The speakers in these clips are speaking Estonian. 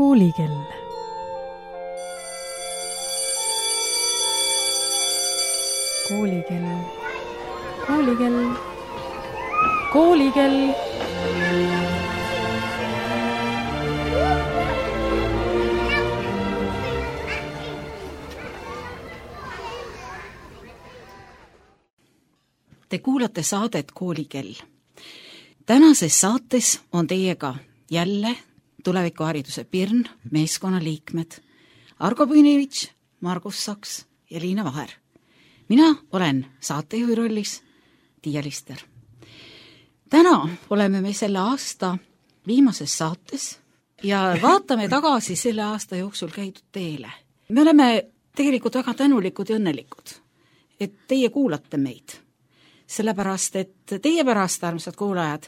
Koolikell. Koolikell. Koolikell. Koolikell. Te kuulate saadet Koolikell. Tänases saates on teiega jälle tulevikuhariduse Pirn, meeskonnaliikmed Argo Püünevitš, Margus Saks ja Liina Vaher. Mina olen saatejuhi rollis Tiia Lister. Täna oleme me selle aasta viimases saates ja vaatame tagasi selle aasta jooksul käidud teele. Me oleme tegelikult väga tänulikud ja õnnelikud, et teie kuulate meid. Sellepärast, et teie pärast, armsad kuulajad,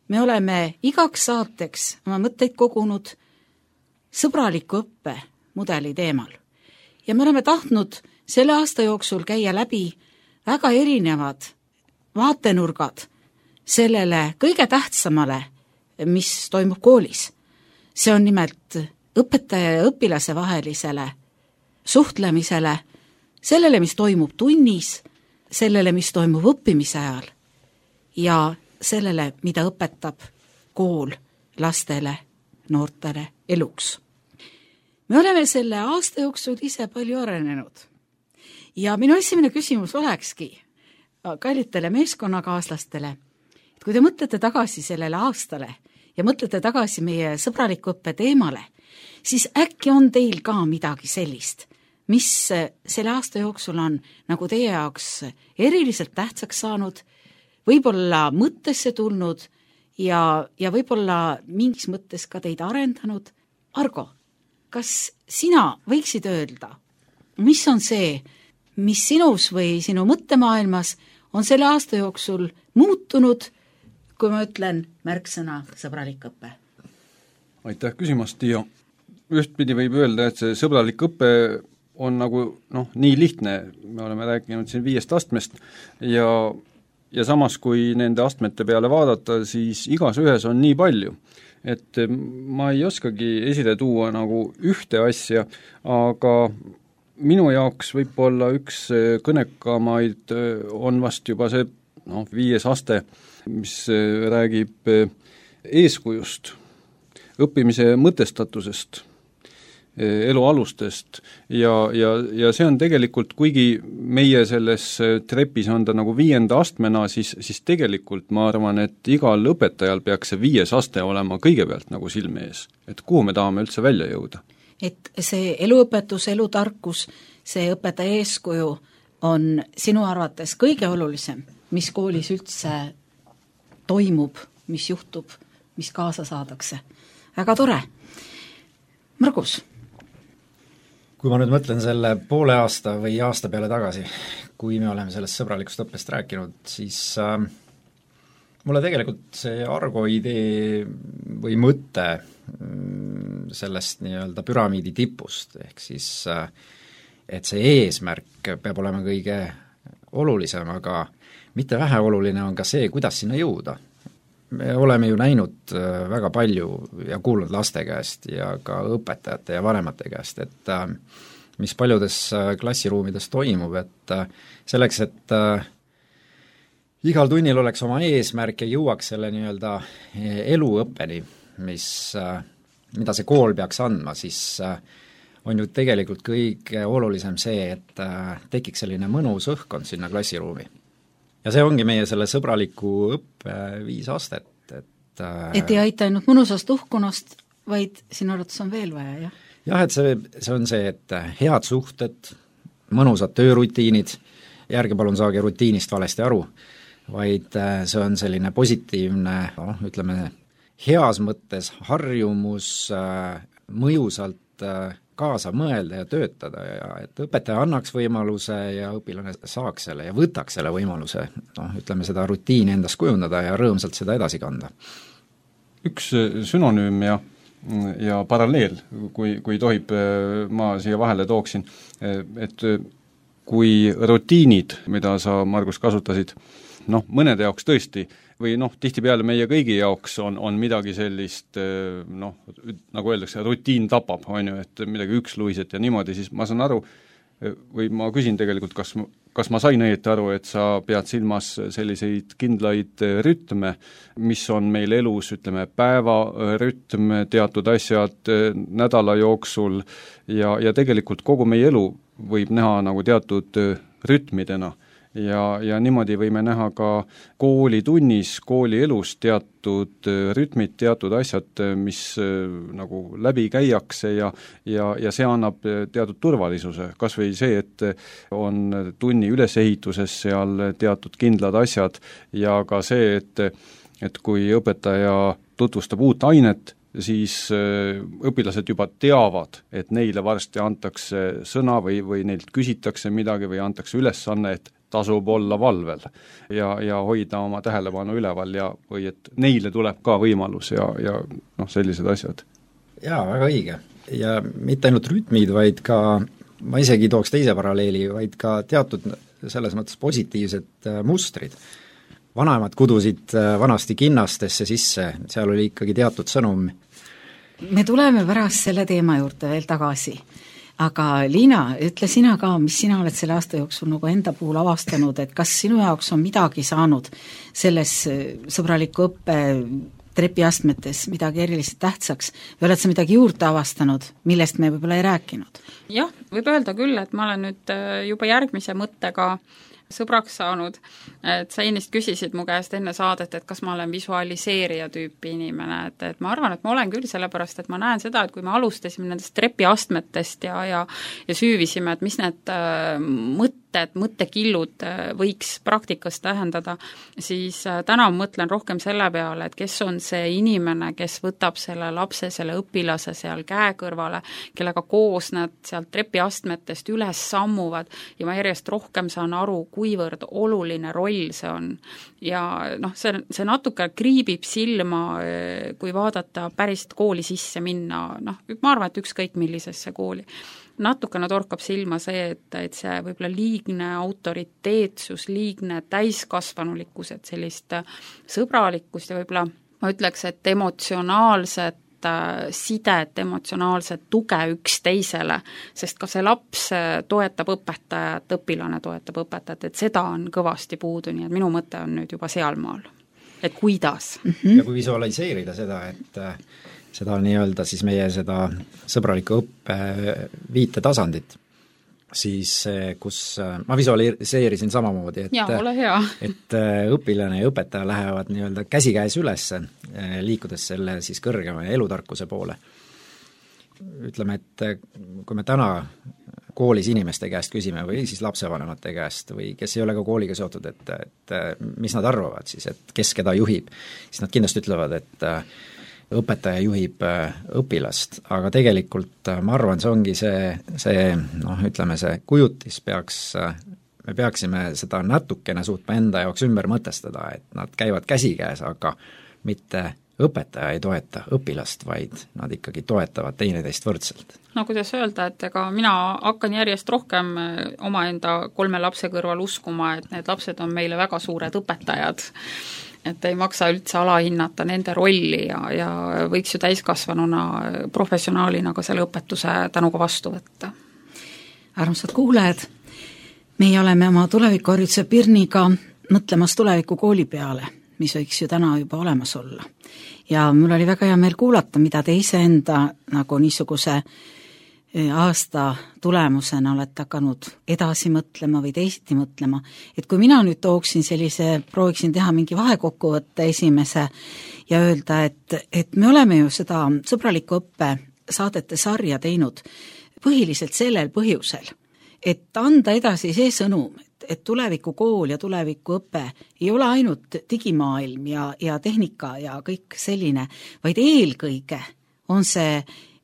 me oleme igaks saateks oma mõtteid kogunud sõbraliku õppe mudeli teemal. Ja me oleme tahtnud selle aasta jooksul käia läbi väga erinevad vaatenurgad sellele kõige tähtsamale, mis toimub koolis. See on nimelt õpetaja ja õpilase vahelisele suhtlemisele, sellele, mis toimub tunnis, sellele, mis toimub õppimise ajal ja sellele, mida õpetab kool lastele, noortele eluks. Me oleme selle aasta jooksul ise palju arenenud ja minu esimene küsimus olekski kallitele meeskonnakaaslastele, et kui te mõtlete tagasi sellele aastale ja mõtlete tagasi meie sõbraliku õppe teemale, siis äkki on teil ka midagi sellist, mis selle aasta jooksul on nagu teie jaoks eriliselt tähtsaks saanud, võib-olla mõttesse tulnud ja võib-olla mingis mõttes ka teid arendanud. Argo, kas sina võiksid öelda, mis on see, mis sinus või sinu mõttemaailmas on selle aasta jooksul muutunud, kui ma ütlen märksõna sõbralik õpe? Aitäh küsimast, Tiia. Ühtpidi võib öelda, et see sõbralik õpe on nagu nii lihtne, me oleme rääkinud siin 5 astmest ja samas, kui nende astmete peale vaadata, siis igas ühes on nii palju, et ma ei oskagi esile tuua nagu ühte asja, aga minu jaoks võib-olla üks kõnekamaid on vast juba see 5. aste, mis räägib eeskujust, õppimise mõtestatusest, elu alustest ja see on tegelikult, kuigi meie selles trepis on ta nagu 5. astmena, siis tegelikult ma arvan, et igal õpetajal peaks see 5. aste olema kõigepealt nagu silme ees, et kuhu me tahame üldse välja jõuda. Et see eluõpetus, elutarkus, see õpetaja eeskuju on sinu arvates kõige olulisem, mis koolis üldse toimub, mis juhtub, mis kaasa saadakse. Väga tore. Margus? Kui ma nüüd mõtlen selle poole aasta või aasta peale tagasi, kui me oleme sellest sõbralikust õppest rääkinud, siis mulle tegelikult see Argo idee või mõte sellest nii-öelda püramiidi tipust, ehk siis et see eesmärk peab olema kõige olulisem, aga mitte vähe oluline on ka see, kuidas sinna jõuda. Me oleme ju näinud väga palju ja kuulnud laste käest ja ka õpetajate ja vanemate käest, et mis paljudes klassiruumides toimub, et selleks, et igal tunnil oleks oma eesmärk ja jõuaks selle nii-öelda eluõppeni, mida see kool peaks andma, siis on ju tegelikult kõige olulisem see, et tekiks selline mõnus õhkkond sinna klassiruumi. Ja see ongi meie selle sõbraliku õppe 5 astet. Et ei aita ainult mõnusast uhkunast, vaid sinu arvates on veel vaja, jah? Jah, et see on see, et head suhted, mõnusad töörutiinid, järgi palun saage rutiinist valesti aru, vaid see on selline positiivne, ütleme, heas mõttes harjumus mõjusalt kaasa mõelda ja töötada ja et õpetaja annaks võimaluse ja õpilane saaks selle ja võtaks selle võimaluse, ütleme seda rutiini endast kujundada ja rõõmsalt seda edasi kanda. Üks sünonüüm ja paralleel, kui tohib, ma siia vahele tooksin, et kui rutiinid, mida sa, Margus, kasutasid, mõnede jaoks tõesti või tihtipeale meie kõigi jaoks on midagi sellist, nagu öeldakse, rutiin tapab, on ju, et midagi üksluiset ja niimoodi, siis ma saan aru, või ma küsin tegelikult, kas ma sain õieti aru, et sa pead silmas selliseid kindlaid rütme, mis on meil elus, ütleme, päevarütm, teatud asjad nädala jooksul ja tegelikult kogu meie elu võib näha nagu teatud rütmidena. Ja niimoodi võime näha ka koolitunnis, koolielus teatud rütmid, teatud asjad, mis nagu läbi käiakse ja see annab teatud turvalisuse. Kas või see, et on tunni ülesehituses seal teatud kindlad asjad ja ka see, et kui õpetaja tutvustab uut ainet, siis õpilased juba teavad, et neile varsti antakse sõna või neilt küsitakse midagi või antakse ülesanne, et tasub olla valvel ja hoida oma tähelepanu üleval või et neile tuleb ka võimalus ja sellised asjad. Jaa, väga õige. Ja mitte ainult rütmid, vaid ka, ma isegi tooks teise paralleeli, vaid ka teatud selles mõttes positiivsed mustrid. Vanaemad kudusid vanasti kinnastesse sisse, seal oli ikkagi teatud sõnum. Me tuleme pärast selle teema juurde veel tagasi. Aga Liina, ütle sina ka, mis sina oled selle aasta jooksul nagu enda puhul avastanud, et kas sinu jaoks on midagi saanud selles sõbraliku õppe trepiastmetes midagi eriliselt tähtsaks või oled sa midagi juurde avastanud, millest me võib-olla ei rääkinud? Jah, võib öelda küll, et ma olen nüüd juba järgmise mõttega sõbraks saanud, et sa ennist küsisid mu käest enne saadet, et kas ma olen visualiseerija tüüpi inimene, et ma arvan, et ma olen küll, sellepärast, et ma näen seda, et kui me alustasime nendest trepiastmetest ja süüvisime, et mis need mõttekillud võiks praktikas tähendada, siis täna mõtlen rohkem selle peale, et kes on see inimene, kes võtab selle lapse, selle õpilase seal käe kõrvale, kellega koos nad sealt trepiastmetest üles sammuvad ja ma järjest rohkem saan aru, kuivõrd oluline roll see on. Ja see natuke kriibib silma, kui vaadata päris kooli sisse minna, ma arvan, et ükskõik millisesse kooli. Natukene torkab silma see, et see võib-olla liigne autoriteetsus, liigne täiskasvanulikkus, et sellist sõbralikkust ja võib-olla ma ütleks, et emotsionaalset sidet, emotsionaalset tuge üksteisele, sest ka see laps toetab õpetajat, õpilane toetab õpetajat, et seda on kõvasti puudu, nii et minu mõte on nüüd juba sealmaal. Et kuidas? Ja kui visualiseerida seda, et seda nii-öelda siis meie seda sõbraliku õppe viitetasandit, siis kus ma visualiseerisin samamoodi, et õpilane ja õpetaja lähevad nii-öelda käsikäes üles, liikudes selle siis kõrgema elutarkuse poole. Ütleme, et kui me täna koolis inimeste käest küsime või siis lapsevanemate käest või kes ei ole ka kooliga seotud, et mis nad arvavad siis, et kes keda juhib, siis nad kindlasti ütlevad, et õpetaja juhib õpilast, aga tegelikult ma arvan, see ongi ütleme see kujutis me peaksime seda natukene suutma enda jaoks ümber mõtestada, et nad käivad käsikäes, aga mitte õpetaja ei toeta õpilast, vaid nad ikkagi toetavad teineteist võrdselt. No kuidas öelda, et ega mina hakkan järjest rohkem omaenda 3 lapse kõrval uskuma, et need lapsed on meile väga suured õpetajad, et ei maksa üldse alahinnata nende rolli ja võiks ju täiskasvanuna, professionaalina ka selle õpetuse tänuga vastu võtta. Armsad kuulajad, meie oleme oma tulevikuhariduse Pirniga mõtlemas tuleviku kooli peale, mis võiks ju täna juba olemas olla. Ja mul oli väga hea meel kuulata, mida te iseenda nagu niisuguse aasta tulemusena olete hakanud edasi mõtlema või teisiti mõtlema, et kui mina nüüd tooksin prooviksin teha mingi vahekokkuvõtte esimese ja öelda, et me oleme ju seda sõbraliku õppe saadete sarja teinud põhiliselt sellel põhjusel, et anda edasi see sõnum, et tulevikukool ja tulevikuõpe ei ole ainult digimaailm ja tehnika ja kõik selline, vaid eelkõige on see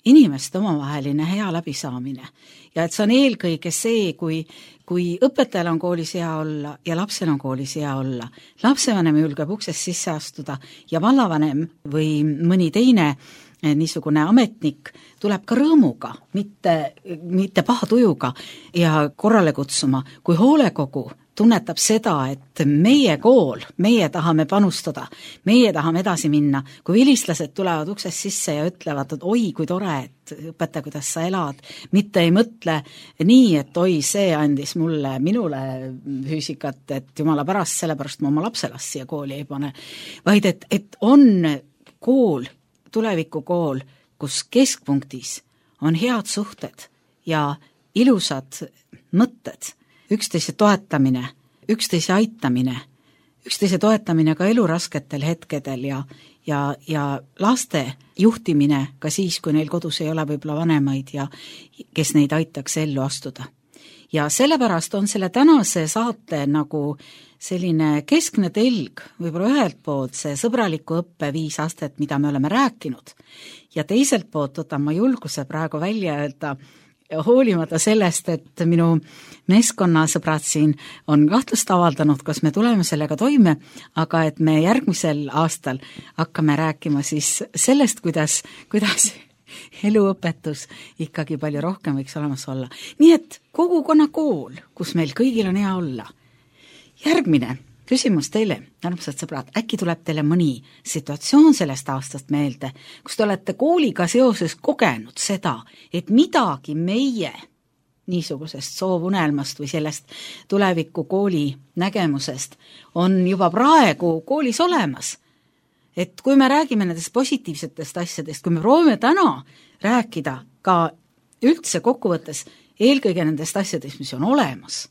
inimeste omavaheline hea läbisaamine. Ja et see on eelkõige see, kui õpetajal on koolis hea olla ja lapsel on koolis hea olla, lapsevanem julgeb uksest sisse astuda ja vallavanem või mõni teine niisugune ametnik tuleb ka rõõmuga, mitte paha tujuga ja korrale kutsuma, kui hoolekogu tunnetab seda, et meie kool, meie tahame panustada, meie tahame edasi minna, kui vilistlased tulevad uksest sisse ja ütlevad, et oi, kui tore, et õpetaja, kuidas sa elad, mitte ei mõtle nii, et oi, see andis minule füüsikat, et jumala pärast, sellepärast ma oma lapselast siia kooli ei pane, vaid et on kool, tulevikukool, kus keskpunktis on head suhted ja ilusad mõtted, üksteise toetamine, üksteise aitamine, üksteise toetamine ka elurasketel hetkedel ja laste juhtimine ka siis, kui neil kodus ei ole võib-olla vanemaid ja kes neid aitaks ellu astuda. Ja sellepärast on selle tänase saate nagu selline keskne telg, võib-olla ühelt poolt see sõbraliku õppe 5 astet, mida me oleme rääkinud, ja teiselt poolt võtan ma julguse praegu välja öelda, hoolimata sellest, et minu meeskonnasõbrad siin on kahtlust avaldanud, kas me tuleme sellega toime, aga et me järgmisel aastal hakkame rääkima siis sellest, kuidas eluõpetus ikkagi palju rohkem võiks olemas olla. Nii et kogukonnakool, kus meil kõigil on hea olla. Järgmine küsimus teile, armsad sõbrad, äkki tuleb teile mõni situatsioon sellest aastast meelde, kus te olete kooliga seoses kogenud seda, et midagi meie niisugusest soovunelmast või sellest tuleviku kooli nägemusest on juba praegu koolis olemas. Et kui me räägime nendest positiivsetest asjadest, kui me proovime täna rääkida ka üldse kokkuvõttes eelkõige nendest asjadest, mis on olemas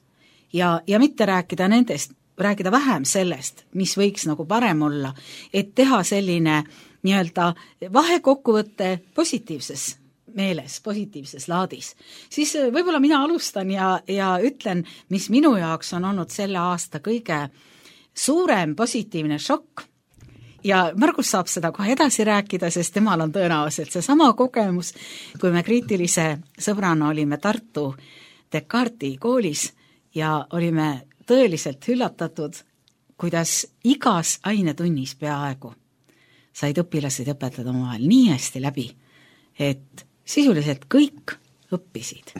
ja mitte rääkida nendest, rääkida vähem sellest, mis võiks nagu parem olla, et teha selline nii-öelda vahekokkuvõtte positiivses meeles, positiivses laadis. Siis võib-olla mina alustan ja ütlen, mis minu jaoks on olnud selle aasta kõige suurem positiivne šokk. Ja Margus saab seda kohe edasi rääkida, sest temal on tõenäoliselt see sama kogemus, kui me kriitilise sõbrana olime Tartu Descartesi koolis ja olime tõeliselt üllatatud, kuidas igas ainetunnis peaaegu said õpilased õpetada omavahel nii hästi läbi, et sisuliselt kõik õppisid,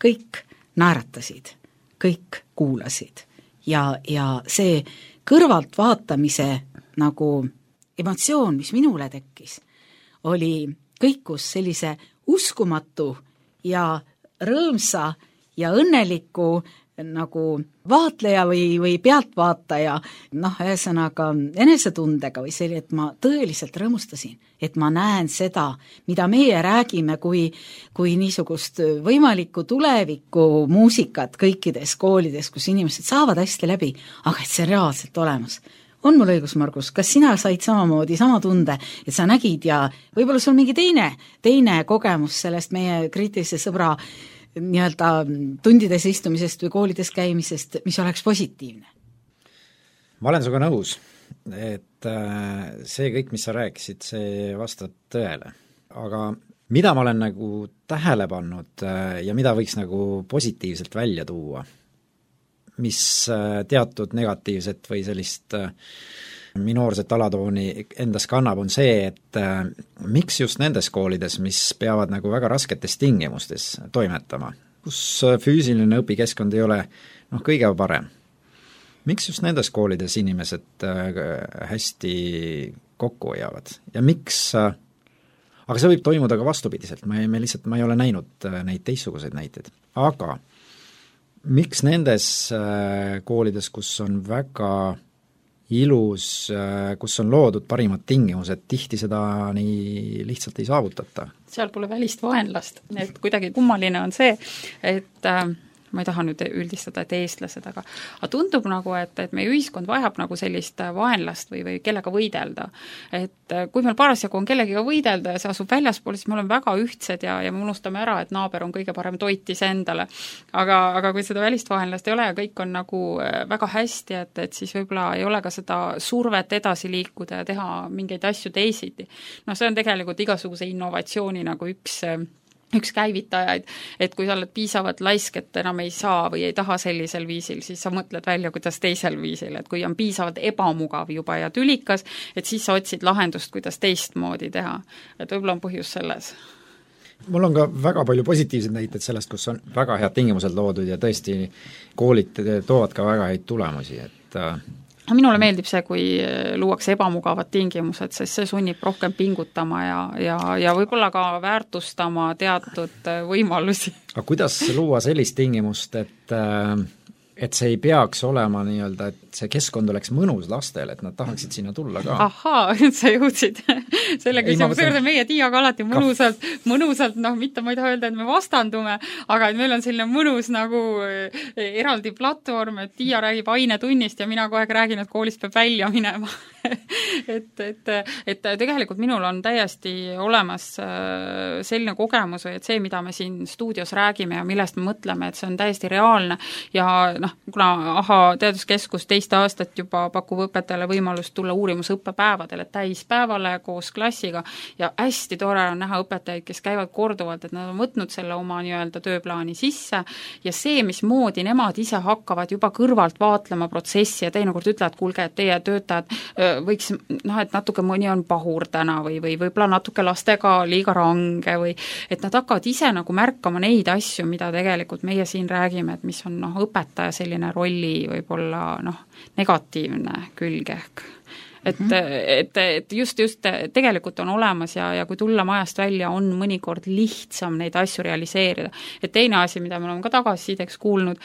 kõik naeratasid, kõik kuulasid ja see kõrvalt vaatamise nagu emotsioon, mis minule tekkis, oli kõikus sellise uskumatu ja rõõmsa ja õnneliku nagu vaatleja või pealtvaataja, ühesõnaga enesetundega või selline, et ma tõeliselt rõõmustasin, et ma näen seda, mida meie räägime kui niisugust võimalikku tuleviku muusikat kõikides koolides, kus inimesed saavad hästi läbi, aga et see on reaalselt olemas. On mul õigus, Margus, kas sina said samamoodi sama tunde, et sa nägid ja võib-olla sul mingi teine kogemus sellest meie kriitilise sõbra nii-öelda tundides istumisest või koolides käimisest, mis oleks positiivne? Ma olen sinuga nõus, et see kõik, mis sa rääkisid, see vastab tõele. Aga mida ma olen nagu tähele pannud ja mida võiks nagu positiivselt välja tuua, mis teatud negatiivset või sellist minoorset alatooni endas kannab, on see, et miks just nendes koolides, mis peavad nagu väga rasketes tingimustes toimetama, kus füüsiline õpikeskkond ei ole kõige parem, miks just nendes koolides inimesed hästi kokku hoiavad ja miks, aga see võib toimuda ka vastupidiselt, ma ei ole näinud neid teistsuguseid näiteid, aga miks nendes koolides, kus on väga ilus, kus on loodud parimad tingimused, tihti seda nii lihtsalt ei saavutata? Seal pole välist vaenlast, et kuidagi kummaline on see, et ma ei taha nüüd üldistada, et eestlased, aga tundub nagu, et meie ühiskond vajab nagu sellist vaenlast või kellega võidelda. Et kui meil parasjagu on kellegiga võidelda ja see asub väljaspool, siis me oleme väga ühtsed ja me unustame ära, et naaber on kõige parem toitis endale. Aga kui seda välist vaenlast ei ole ja kõik on nagu väga hästi, et siis võib-olla ei ole ka seda survet edasi liikuda ja teha mingeid asju teisiti. See on tegelikult igasuguse innovatsiooni nagu üks käivitajaid, et kui sa oled piisavalt laisk, et enam ei saa või ei taha sellisel viisil, siis sa mõtled välja, kuidas teisel viisil, et kui on piisavalt ebamugav juba ja tülikas, et siis sa otsid lahendust, kuidas teistmoodi teha. Et võib-olla on põhjus selles. mul on ka väga palju positiivseid näiteid sellest, kus on väga head tingimused loodud ja tõesti koolid toovad ka väga häid tulemusi, et minule meeldib see, kui luuakse ebamugavad tingimused, sest see sunnib rohkem pingutama ja võib-olla ka väärtustama teatud võimalusi. aga kuidas luua sellist tingimust, et see ei peaks olema nii-öelda, et see keskkond oleks mõnus lastele, et nad tahaksid sinna tulla ka? Ahaa, sa jõudsid selle küsimuse juurde, meie Tiiaga alati mõnusalt, mitte ma ei taha öelda, et me vastandume, aga et meil on selline mõnus nagu eraldi platvorm, et Tiia räägib ainetunnist ja mina kogu aeg räägin, et koolist peab välja minema. et tegelikult minul on täiesti olemas selline kogemus, et see, mida me siin stuudios räägime ja millest me mõtleme, et see on täiesti reaalne ja kuna AHA teaduskeskus 2 aastat juba pakub õpetajale võimalust tulla uurimusõppepäevadele täispäevale koos klassiga ja hästi tore on näha õpetajaid, kes käivad korduvalt, et nad on võtnud selle oma nii-öelda tööplaani sisse ja see, mismoodi nemad ise hakkavad juba kõrvalt vaatlema protsessi ja teinekord ütlevad, kuulge, et teie töötajad võiks, et natuke mõni on pahur täna või võib-olla natuke lastega liiga range või et nad hakkavad ise nagu märkama neid asju, mida tegelikult meie siin räägime, et mis on õpetaja selline rolli võib-olla negatiivne külg ehk. Et just tegelikult on olemas ja kui tulla majast välja, on mõnikord lihtsam neid asju realiseerida. Et teine asi, mida me oleme ka tagasisideks kuulnud,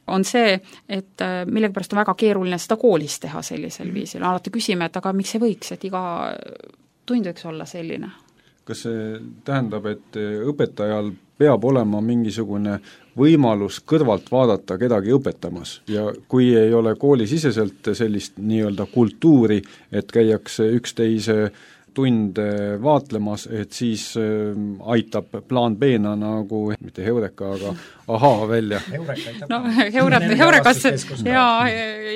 on see, et millegipärast on väga keeruline seda koolis teha sellisel viisil. Alati küsime, et aga miks ei võiks, et iga tund võiks olla selline? Kas see tähendab, et õpetajal peab olema mingisugune võimalus kõrvalt vaadata kedagi õpetamas ja kui ei ole koolisiseselt sellist nii-öelda kultuuri, et käiakse üksteise tunde vaatlemas, et siis aitab plaan B-na nagu, mitte Heureka, aga AHA välja. Heurekas ja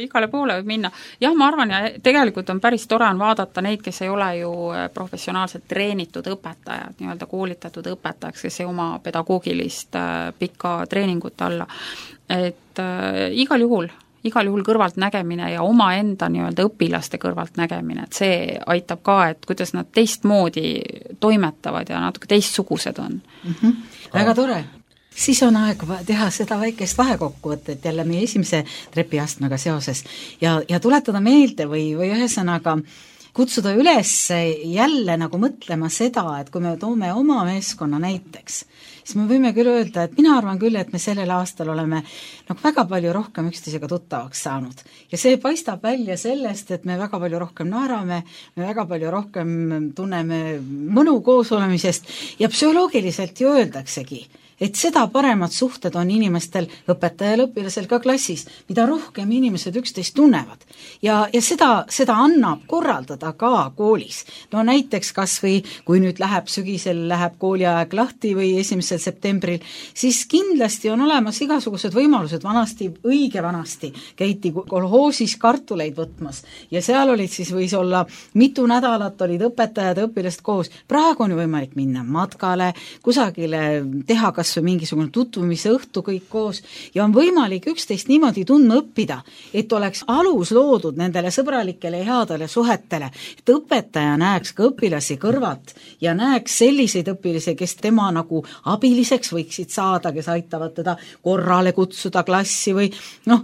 igale poole võib minna. Jah, ma arvan, ja tegelikult on päris tore on vaadata neid, kes ei ole ju professionaalselt treenitud õpetajad, nii-öelda koolitatud õpetajaks, kes ei oma pedagoogilist pikka treeningut alla. Et igal juhul kõrvalt nägemine ja omaenda nii-öelda õpilaste kõrvalt nägemine, et see aitab ka, et kuidas nad teistmoodi toimetavad ja natuke teistsugused on. Väga tore. Siis on aeg teha seda väikest vahekokkuvõtet jälle meie esimese trepiastmega seoses ja tuletada meelde või ühesõnaga kutsuda üles jälle nagu mõtlema seda, et kui me toome oma meeskonna näiteks, siis me võime küll öelda, et mina arvan küll, et me sellel aastal oleme väga palju rohkem üksteisega tuttavaks saanud. Ja see paistab välja sellest, et me väga palju rohkem naerame, me väga palju rohkem tunneme mõnu koos olemisest ja psühholoogiliselt ju öeldaksegi, et seda paremad suhted on inimestel, õpetajal, õpilasel ka klassis, mida rohkem inimesed üksteist tunnevad. Ja seda annab korraldada ka koolis. No näiteks kas või, kui nüüd sügisel läheb kooliaeg lahti või 1. septembril, siis kindlasti on olemas igasugused võimalused. Õige vanasti käiti kolhoosis kartuleid võtmas ja seal olid siis võis olla mitu nädalat olid õpetajad ja õpilased koos. Praegu on ju võimalik minna matkale, kusagile teha kas või mingisugune tutvumise õhtu kõik koos ja on võimalik üksteist niimoodi tundma õppida, et oleks alus loodud nendele sõbralikele ja headele suhetele, et õpetaja näeks ka õpilasi kõrvalt ja näeks selliseid õpilasi, kes tema nagu abiliseks võiksid saada, kes aitavad teda korrale kutsuda klassi või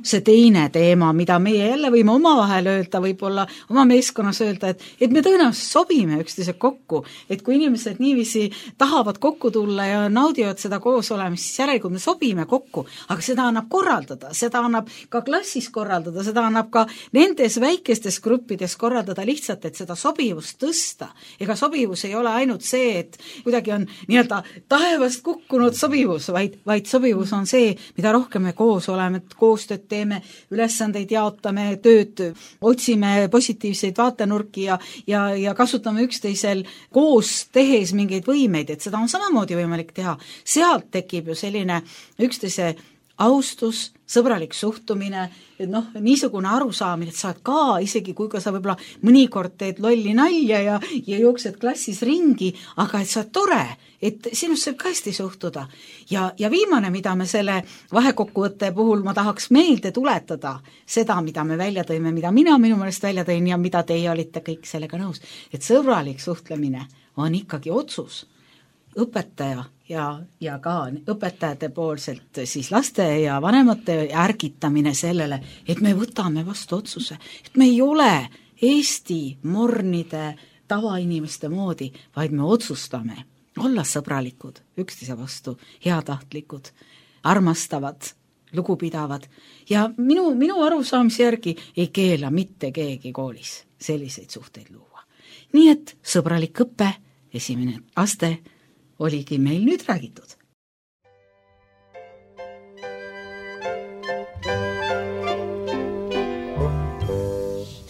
see teine teema, mida meie jälle võime omavahel öelda, võib-olla oma meeskonnas öelda, et me tõenäoliselt sobime üksteise kokku, et kui inimesed niiviisi tahavad kokku tulla ja naudivad seda koos olemist, siis järelikult me sobime kokku, aga seda annab korraldada, seda annab ka klassis korraldada, seda annab ka nendes väikestes gruppides korraldada lihtsalt, et seda sobivust tõsta. Ega sobivus ei ole ainult see, et kuidagi on nii-öelda taevast kukkunud sobivus, vaid sobivus on see, mida rohkem me koos oleme, koostööd teeme, ülesandeid jaotame, tööd, otsime positiivseid vaatenurki ja kasutame üksteisel koos tehes mingeid võimeid, et seda on samamoodi võimalik teha. Sealt tekib ju selline üksteise austus, sõbralik suhtumine, niisugune arusaamine, et saad ka, isegi kui ka sa võib-olla mõnikord teed lolli nalja ja jooksed klassis ringi, aga et sa oled tore, et sinust saab ka hästi suhtuda. Ja viimane, mida me selle vahekokkuvõtte puhul ma tahaks meelde tuletada, seda, mida me välja tõime, mida mina minu meelest välja tõin ja mida teie olite kõik sellega nõus, et sõbralik suhtlemine on ikkagi otsus. Õpetaja ja ka õpetajate poolselt siis laste ja vanemate ärgitamine sellele, et me võtame vastu otsuse, et me ei ole Eesti mornide tavainimeste moodi, vaid me otsustame olla sõbralikud, üksteise vastu, heatahtlikud, armastavad, lugupidavad ja minu arusaamise järgi ei keela mitte keegi koolis selliseid suhteid luua. Nii et sõbralik õpe, esimene aste oligi meil nüüd räägitud.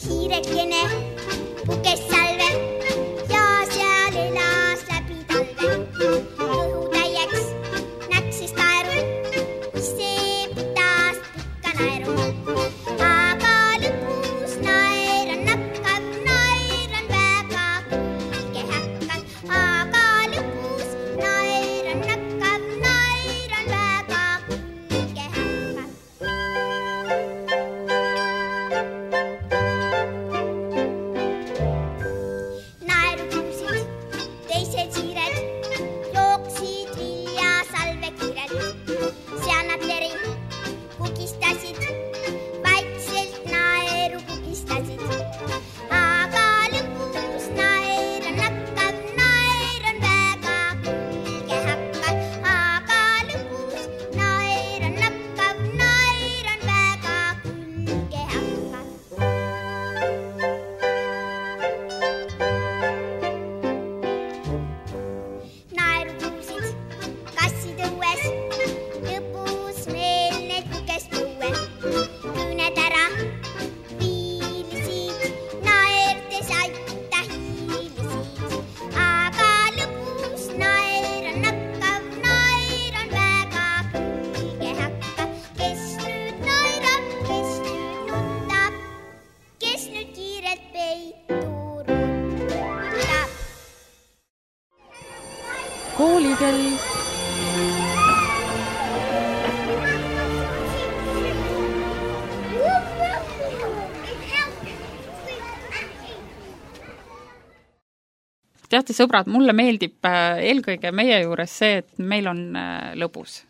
Hiirekene pukes salve ja seal elas läbi talve. Õhutäieks näksis taeru, see pidas pikka naeru. Aga lõpus naer on nakkav, naer on väga kulge häkkav. Aga lõpus naer on nakkav, naer on väga kulge häkkav. Naeru kuulsid teised siired, jooksid viljasalve kiired. Seal nad teri kukistasid, vaikselt naeru kukistasid. Aga lõpus naer on nakkav, naer on väga kulge häkkav. Aga lõpus naer on nakkav, naer on väga kulge häkkav. Naeru kuulsid kassid õues, lõpus meil need kukes põue. Küüned ära viilisid, naerdes aita hiilisid. Aga lõpus naer on nakkav, naer on väga kulge häkkav. Kes nüüd naerab, kes nüüd nutab, kes nüüd kiirelt peitu rutab. Koolikell. Teate, sõbrad, mulle meeldib eelkõige meie juures see, et meil on lõbus.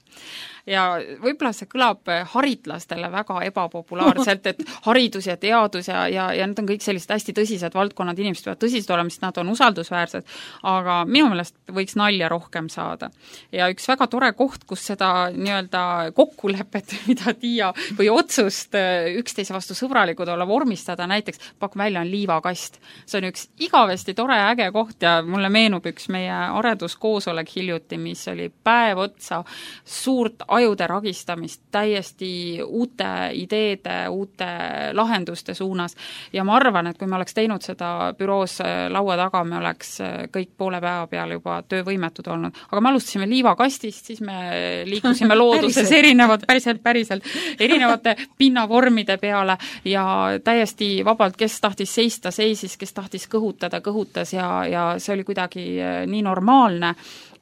Ja võib-olla see kõlab haritlastele väga ebapopulaarselt, et haridus ja teadus ja need on kõik sellised hästi tõsised valdkonnad, inimesed peavad tõsised olema, sest nad on usaldusväärsed, aga minu meelest võiks nalja rohkem saada. Ja üks väga tore koht, kus seda nii-öelda kokkulepet, mida Tiia või otsust üksteise vastu sõbralikud olla vormistada, näiteks pakun välja on liivakast. See on üks igavesti tore äge koht ja mulle meenub üks meie areduskoosolek hiljuti, mis oli päev otsa suurt ajude ragistamist täiesti uute ideede, uute lahenduste suunas ja ma arvan, et kui me oleks teinud seda büroos laua taga, me oleks kõik poole päeva peale juba töövõimetud olnud. Aga me alustasime liivakastist, siis me liikusime looduses päriselt erinevate pinnavormide peale ja täiesti vabalt, kes tahtis seista, seisis, kes tahtis kõhutas ja see oli kuidagi nii normaalne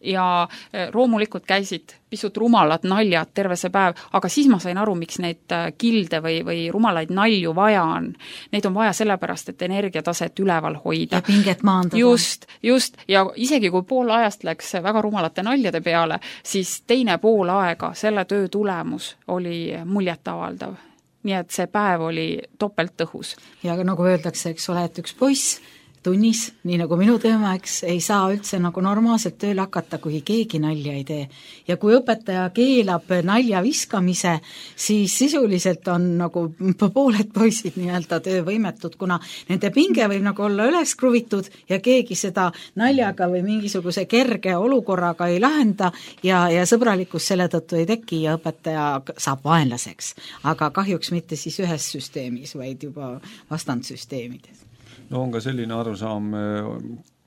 ja loomulikult käisid pisut rumalad naljad terve see päev, aga siis ma sain aru, miks neid kilde või rumalaid nalju vaja on. Neid on vaja sellepärast, et energiataset üleval hoida. Ja pinget maandada. Just. Ja isegi kui pool ajast läks väga rumalate naljade peale, siis teine pool aega selle töö tulemus oli muljetavaldav. Nii et see päev oli topelt tõhus. Ja nagu öeldakse, eks ole, et üks poiss tunnis, nii nagu minu teema, eks, ei saa üldse nagu normaalselt tööl hakata, kui keegi nalja ei tee. Ja kui õpetaja keelab nalja viskamise, siis sisuliselt on nagu pooled poisid nii-öelda töövõimetud, kuna nende pinge võib nagu olla üles kruvitud ja keegi seda naljaga või mingisuguse kerge olukorraga ei lahenda ja sõbralikkus selle tõttu ei teki ja õpetaja saab vaenlaseks. Aga kahjuks mitte siis ühes süsteemis, vaid juba vastandsüsteemides. No on ka selline arusaam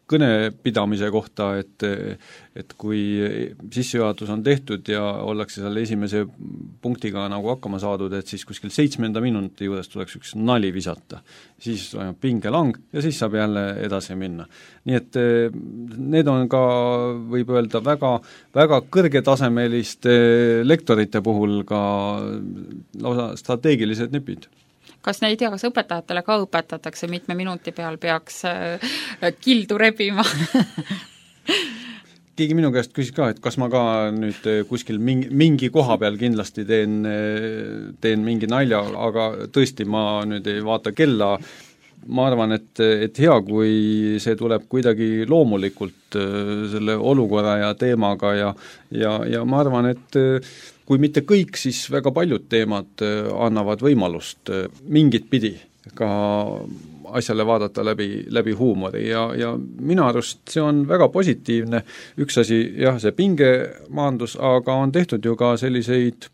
kõnepidamise kohta, et kui sissejuhatus on tehtud ja ollakse seal esimese punktiga nagu hakkama saadud, et siis kuskil 7. minuti juures tuleks üks nali visata. Siis toimub pingelang ja siis saab jälle edasi minna. Nii et need on ka, võib öelda, väga, väga kõrgetasemeliste lektorite puhul ka lausa strateegilised nipid. Kas ne ei tea, kas õpetajatele ka õpetatakse, mitme minuti peal peaks kildu rebima? keegi minu käest küsis ka, et kas ma ka nüüd kuskil mingi koha peal kindlasti teen mingi nalja, aga tõesti, ma nüüd ei vaata kella, ma arvan, et hea, kui see tuleb kuidagi loomulikult selle olukorra ja teemaga ja ma arvan, et kui mitte kõik, siis väga paljud teemad annavad võimalust mingit pidi ka asjale vaadata läbi huumori ja minu arust see on väga positiivne. Üks asi, jah, see pingemaandus, aga on tehtud ju ka selliseid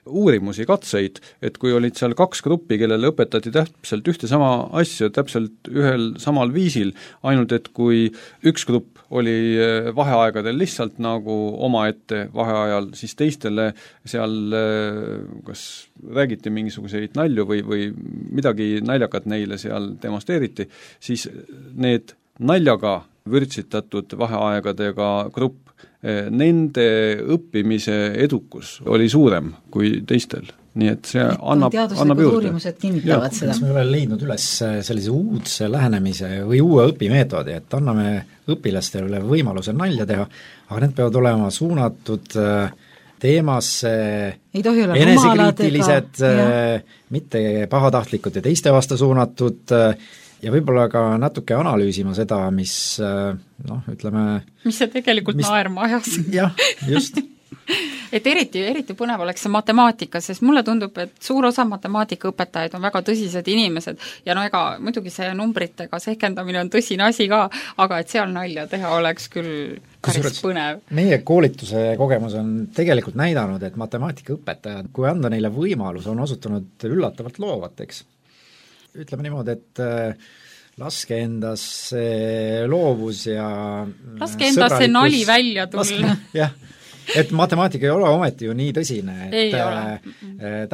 uurimusi, katseid, et kui olid seal 2 gruppi, kellele õpetati täpselt ühte sama asja, täpselt ühel samal viisil, ainult et kui üks grupp oli vaheaegadel lihtsalt nagu omaette vaheajal, siis teistele seal kas räägiti mingisuguseid nalju või midagi naljakat neile seal demonstreeriti, siis need naljaga vürtsitatud vaheaegadega grupp, nende õppimise edukus oli suurem kui teistel. Nii et see annab juurde. Uurimused kinnitavad seda. Kas me oleme leidnud üles sellise uudse lähenemise või uue õpimeetodi, et anname õpilastele võimaluse nalja teha, aga need peavad olema suunatud teemasse enesekriitilised, mitte pahatahtlikud ja teiste vastu suunatud ja võib-olla ka natuke analüüsima seda, mis ütleme... Mis see tegelikult naerma ajas. Jah, just. Et eriti põnev oleks see matemaatika, sest mulle tundub, et suur osa matemaatikaõpetajaid on väga tõsised inimesed ja ega muidugi see numbritega sehkendamine on tõsine asi ka, aga et seal nalja teha oleks küll päris põnev. Meie koolituse kogemus on tegelikult näidanud, et matemaatikaõpetajad, kui anda neile võimalus, on osutunud üllatavalt loovateks. Ütleme niimoodi, et laske endas loovus ja laske endas see nali välja tulla. Jah, et matemaatika ei ole ometi ju nii tõsine, et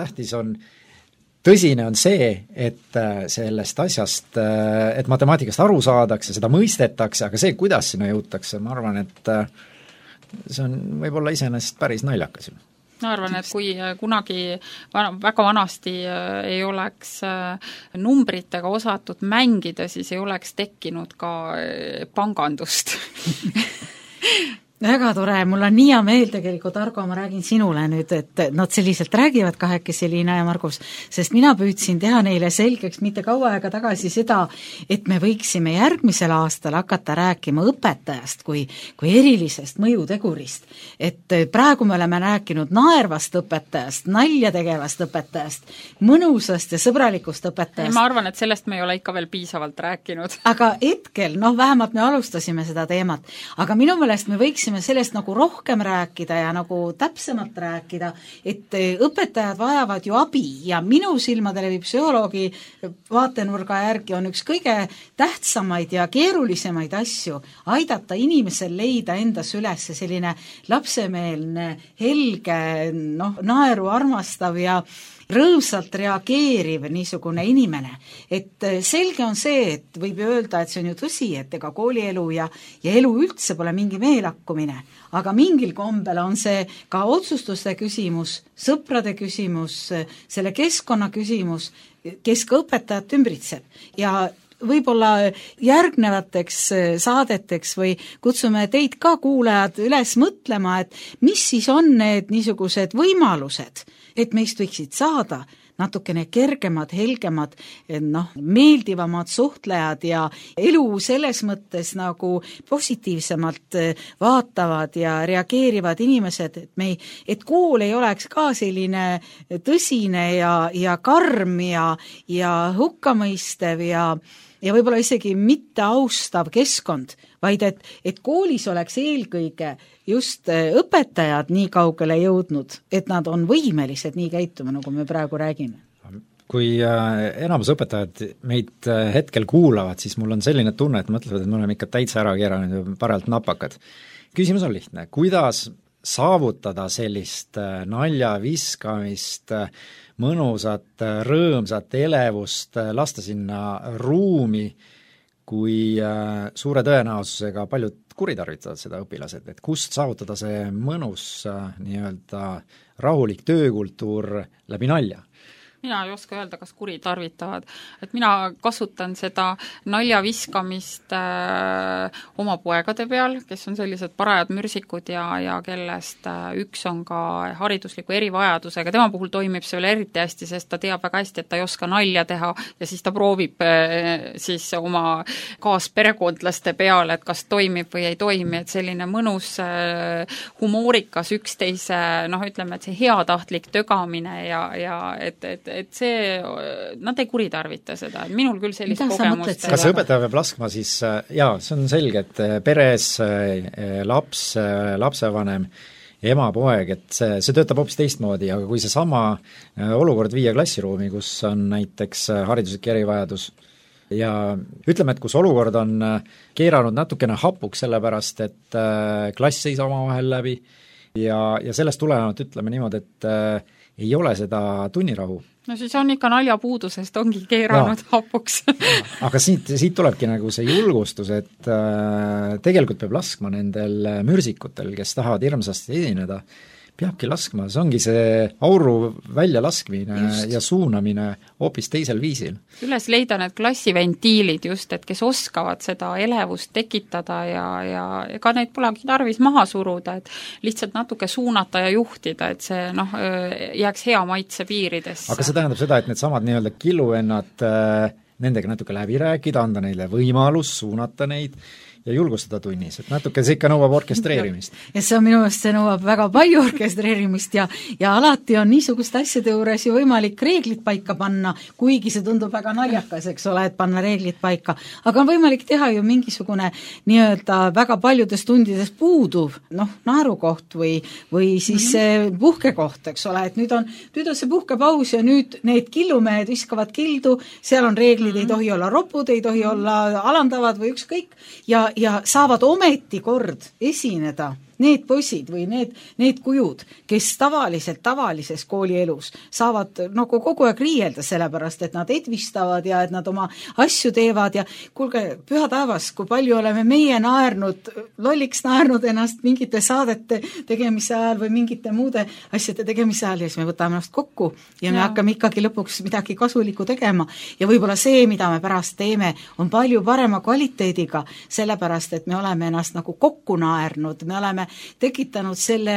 tõsine on see, et sellest asjast, et matemaatikast aru saadakse, seda mõistetakse, aga see, kuidas sinna jõutakse, ma arvan, et see on võib-olla iseenesest päris naljakas. Ma arvan, et kui kunagi väga vanasti ei oleks numbritega osatud mängida, siis ei oleks tekkinud ka pangandust. Väga tore, mul on nii hea meel tegelikult, Argo, ma räägin sinule nüüd, et nad selliselt räägivad kahekesi, Liina ja Margus, sest mina püüdsin teha neile selgeks mitte kaua aega tagasi seda, et me võiksime järgmisel aastal hakata rääkima õpetajast kui erilisest mõjutegurist. Et praegu me oleme rääkinud naervast õpetajast, nalja tegevast õpetajast, mõnusast ja sõbralikust õpetajast. Ma arvan, et sellest me ei ole ikka veel piisavalt rääkinud. Aga hetkel, vähemalt me alustasime seda teemat, aga minu meelest me võiksime sellest nagu rohkem rääkida ja nagu täpsemalt rääkida, et õpetajad vajavad ju abi ja minu silmadele või psühholoogi vaatenurga järgi on üks kõige tähtsamaid ja keerulisemaid asju aidata inimesel leida endas üles selline lapsemeelne, helge, naeru armastav ja rõõmsalt reageeriv niisugune inimene. Et selge on see, et võib öelda, et see on ju tõsi, et ega koolielu ja elu üldse pole mingi meelakkumine, aga mingil kombel on see ka otsustuste küsimus, sõprade küsimus, selle keskkonna küsimus, kes ka õpetajat ümbritseb ja võib-olla järgnevateks saadeteks või kutsume teid ka kuulajad üles mõtlema, et mis siis on need niisugused võimalused, et meist võiksid saada natukene kergemad, helgemad, meeldivamad suhtlejad ja elu selles mõttes nagu positiivsemalt vaatavad ja reageerivad inimesed, et kool ei oleks ka selline tõsine ja karm ja hukkamõistev ja võib-olla isegi mitte austav keskkond, vaid et koolis oleks eelkõige just õpetajad nii kaugele jõudnud, et nad on võimelised nii käituma, nagu me praegu räägime. Kui enamus õpetajad meid hetkel kuulavad, siis mul on selline tunne, et mõtlevad, et me oleme ikka täitsa ära keeranud ja parajalt napakad. Küsimus on lihtne, kuidas saavutada sellist nalja viskamist, mõnusat, rõõmsat elevust, lasta sinna ruumi, kui suure tõenäosusega paljud kuritarvitavad seda õpilased, et kust saavutada see mõnus nii-öelda rahulik töökultuur läbi nalja. mina ei oska öelda, kas kuritarvitavad. Et mina kasutan seda naljaviskamist oma poegade peal, kes on sellised parajad mürsikud ja kellest üks on ka haridusliku erivajadusega. Tema puhul toimib see veel eriti hästi, sest ta teab väga hästi, et ta ei oska nalja teha ja siis ta proovib siis oma kaasperekondlaste peale, et kas toimib või ei toimi, et selline mõnus humoorikas üksteise, ütleme, et see heatahtlik tögamine ja et see, nad ei kuritarvita seda, et minul küll sellist kogemust kas õpetaja peab laskma siis, see on selge, et peres lapsevanem, ema, poeg, et see töötab hoopis teistmoodi, aga kui see sama olukord viia klassiruumi, kus on näiteks hariduslik erivajadus ja ütleme, et kus olukord on keeranud natukene hapuks, sellepärast et klass ei saa omavahel läbi ja sellest tulenevalt ütleme niimoodi, et ei ole seda tunnirahu. No siis on ikka naljapuudusest, ongi keeranud hapuks. Aga siit tulebki nagu see julgustus, et tegelikult peab laskma nendel mürsikutel, kes tahavad hirmsasti esineda, peabki laskma, see ongi see auru väljalaskmine ja suunamine hoopis teisel viisil. Üles leida need klassiventiilid just, et kes oskavad seda elevust tekitada ja ega neid polegi tarvis maha suruda, et lihtsalt natuke suunata ja juhtida, et see jääks hea maitse piiridesse. Aga see tähendab seda, et need samad nii-öelda killuvennad, nendega natuke läbi rääkida, anda neile võimalus, suunata neid ja julgustada tunnis, et natuke see ikka nõuab orkestreerimist. Ja see on minu meelest, see nõuab väga palju orkestreerimist ja alati on niisuguste asjade juures ju võimalik reeglid paika panna, kuigi see tundub väga naljakas, eks ole, et panna reeglid paika. Aga on võimalik teha ju mingisugune nii-öelda väga paljudes tundides puuduv, naerukoht või siis puhkekoht, eks ole, et nüüd on see puhkepaus ja nüüd need killumehed viskavad kildu, seal on reeglid, ei tohi olla ropud, ei tohi olla alandavad või ükskõik ja saavad ometi kord esineda need poisid või need kujud, kes tavalises koolielus saavad kogu aeg riielda sellepärast, et nad edvistavad ja et nad oma asju teevad ja kuulge, püha taevas, kui palju oleme meie lolliks naernud ennast mingite saadete tegemise ajal või mingite muude asjade tegemise ajal ja siis me võtame ennast kokku ja me hakkame ikkagi lõpuks midagi kasulikku tegema ja võib-olla see, mida me pärast teeme, on palju parema kvaliteediga, sellepärast, et me oleme ennast kokku naernud, me oleme tekitanud selle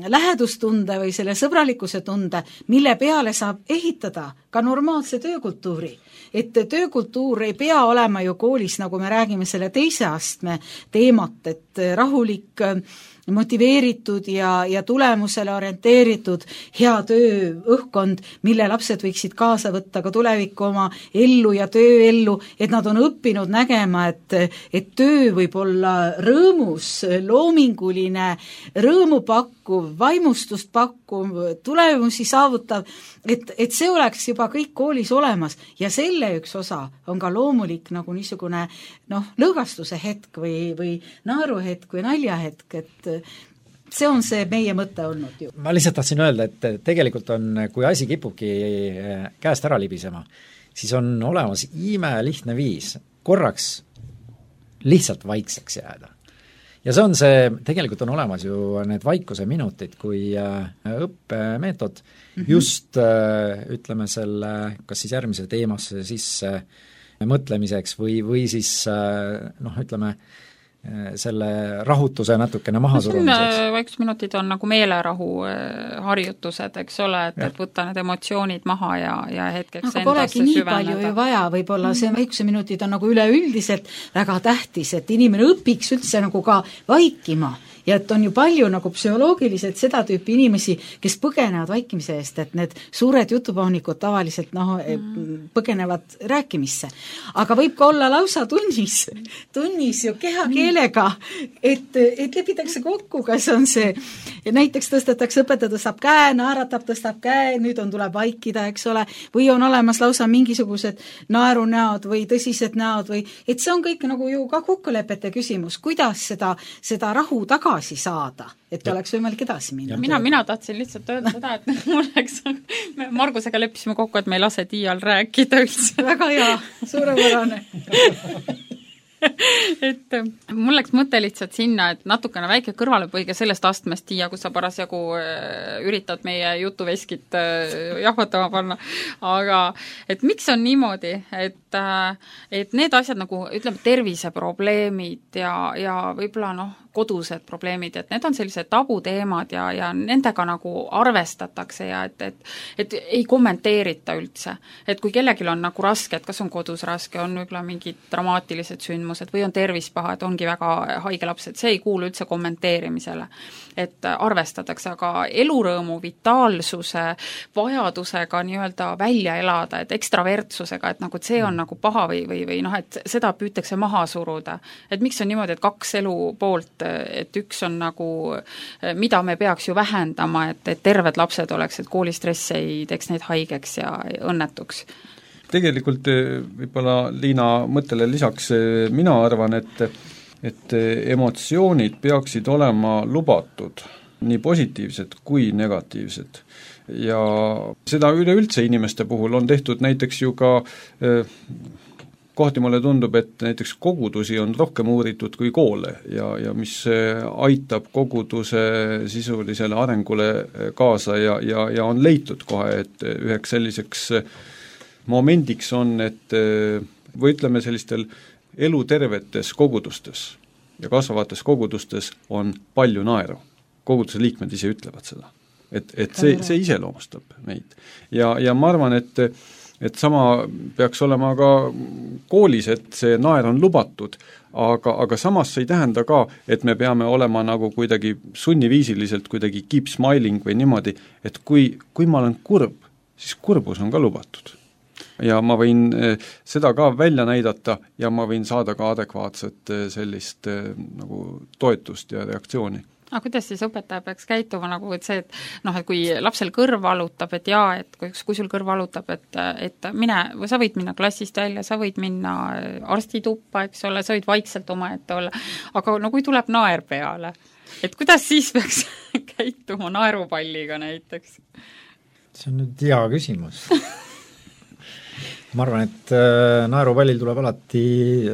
lähedustunde või selle sõbralikkuse tunde, mille peale saab ehitada ka normaalse töökultuuri. Et töökultuur ei pea olema ju koolis, nagu me räägime selle teise astme teemat, et rahulik, motiveeritud ja tulemusele orienteeritud hea tööõhkkond, mille lapsed võiksid kaasa võtta ka tulevikku oma ellu ja tööellu, et nad on õppinud nägema, et töö võib olla rõõmus, loominguline, rõõmu pakkuv, vaimustust pakkuv, tulemusi saavutav, et see oleks juba kõik koolis olemas ja selle üks osa on ka loomulik nagu niisugune lõõgastuse hetk või naeruhetk või naljahetk, et see on see meie mõte olnud ju. Ma lihtsalt tahtsin öelda, et tegelikult on, kui asi kipubki käest ära libisema, siis on olemas imelihtne viis korraks lihtsalt vaikseks jääda. Ja tegelikult on olemas ju need vaikuse minutid, kui õppemeetod just ütleme selle, kas siis järgmise teemasse sisse mõtlemiseks või siis ütleme, selle rahutuse natukene mahasurumiseks. Vaikusminutid on nagu meelerahu harjutused, eks ole, et võtta need emotsioonid maha ja hetkeks endasse süveneda. Aga polegi nii palju ju vaja, võib-olla see vaikuseminutid on nagu üleüldiselt väga tähtis, et inimene õpiks üldse nagu ka vaikima ja et on ju palju nagu psühholoogiliselt seda tüüpi inimesi, kes põgenevad vaikimise eest, et need suured jutupaunikud tavaliselt põgenevad rääkimisse. Aga võib ka olla lausa tunnis ju kehakeelega, et lepitakse kokku, kas on see, näiteks tõstetakse, õpetaja tõstab käe, naeratab, tõstab käe, nüüd tuleb vaikida, eks ole, või on olemas lausa mingisugused naerunäod või tõsised näod või, et see on kõik nagu ju ka kokkulepete küsimus, kuidas seda rahu tagasi saada, et oleks võimalik edasi minna. Mina tahtsin lihtsalt öelda seda, et me Margusega leppisime kokku, et me ei lase Tiial rääkida üldse. Väga hea, suurepärane. et mul läks mõte lihtsalt sinna, et natukene väike kõrvalepõige sellest astmest, Tiia, kus sa parasjagu üritad meie jutuveskit jahvatama panna, aga et miks on niimoodi, et need asjad nagu ütleme, terviseprobleemid ja võib-olla kodused probleemid, et need on sellised tabuteemad ja nendega nagu arvestatakse ja et ei kommenteerita üldse. Et kui kellelgi on nagu raske, et kas on kodus raske, on võib-olla mingid dramaatilised sündmused või on tervis paha, et ongi väga haige laps, et see ei kuulu üldse kommenteerimisele. Et arvestatakse, aga elurõõmu, vitaalsuse, vajadusega nii-öelda välja elada, et ekstravertsusega, et nagu et see on nagu paha või et seda püütakse maha suruda. Et miks on niimoodi, et kaks elu poolt, et üks on nagu, mida me peaks ju vähendama, et terved lapsed oleks, et koolistress ei teeks neid haigeks ja õnnetuks. Tegelikult võib-olla Liina mõttele lisaks mina arvan, et emotsioonid peaksid olema lubatud, nii positiivsed kui negatiivsed. Ja seda üleüldse inimeste puhul on tehtud näiteks ju ka kohti mulle tundub, et näiteks kogudusi on rohkem uuritud kui koole ja mis aitab koguduse sisulisele arengule kaasa ja on leitud kohe, et üheks selliseks momendiks on, et või ütleme sellistel elutervetes kogudustes ja kasvavates kogudustes on palju naeru. Koguduse liikmed ise ütlevad seda. Et see iseloomustab meid. Ja ma arvan, et sama peaks olema ka koolis, et see naer on lubatud, aga samas see ei tähenda ka, et me peame olema nagu kuidagi sunniviisiliselt kuidagi keep smiling või niimoodi, et kui ma olen kurb, siis kurbus on ka lubatud. Ja ma võin seda ka välja näidata ja ma võin saada ka adekvaatset sellist nagu toetust ja reaktsiooni. Aga kuidas siis õpetaja peaks käituma nagu, et see, et kui lapsel kõrv valutab, et jaa, et kui sul kõrv valutab, et mine, sa võid minna klassist välja, sa võid minna arstituppa, eks ole, sa võid vaikselt omaette olla, aga kui tuleb naer peale, et kuidas siis peaks käituma naerupalliga näiteks? See on nüüd hea küsimus. Ma arvan, et naerupallil tuleb alati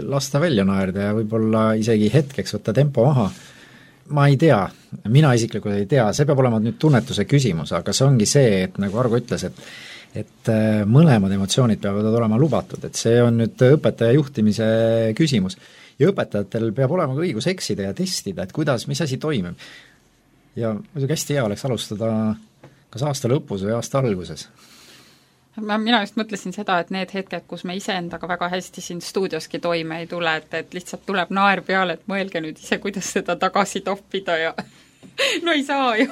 lasta välja naerda ja võib-olla isegi hetkeks võtta tempo maha. Ma ei tea, mina isiklikult ei tea, see peab olema nüüd tunnetuse küsimus, aga see ongi see, et nagu Argo ütles, et mõlemad emotsioonid peavad olema lubatud, et see on nüüd õpetaja juhtimise küsimus. Ja õpetajatel peab olema ka õigus eksida ja testida, et mis asi toimib. Ja muidugi hästi hea oleks alustada kas aasta lõpus või aasta alguses. Mina just mõtlesin seda, et need hetked, kus me iseendaga väga hästi siin stuudioski toime ei tule, et lihtsalt tuleb naer peale, et mõelge nüüd ise, kuidas seda tagasi toppida ja no ei saa ju.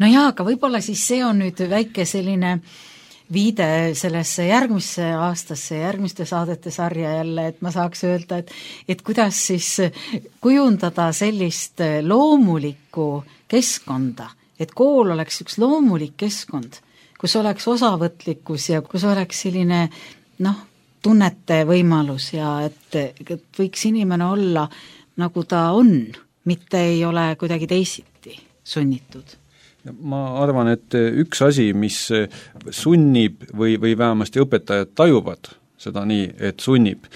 No jaa, aga võib-olla siis see on nüüd väike selline viide sellesse järgmisse aastasse, järgmiste saadete sarja jälle, et ma saaks öelda, et kuidas siis kujundada sellist loomulikku keskkonda, et kool oleks üks loomulik keskkond, kus oleks osavõtlikkus ja kus oleks selline tunnete võimalus ja et võiks inimene olla nagu ta on, mitte ei ole kuidagi teisiti sunnitud. Ma arvan, et üks asi, mis sunnib või vähemasti õpetajad tajuvad seda nii, et sunnib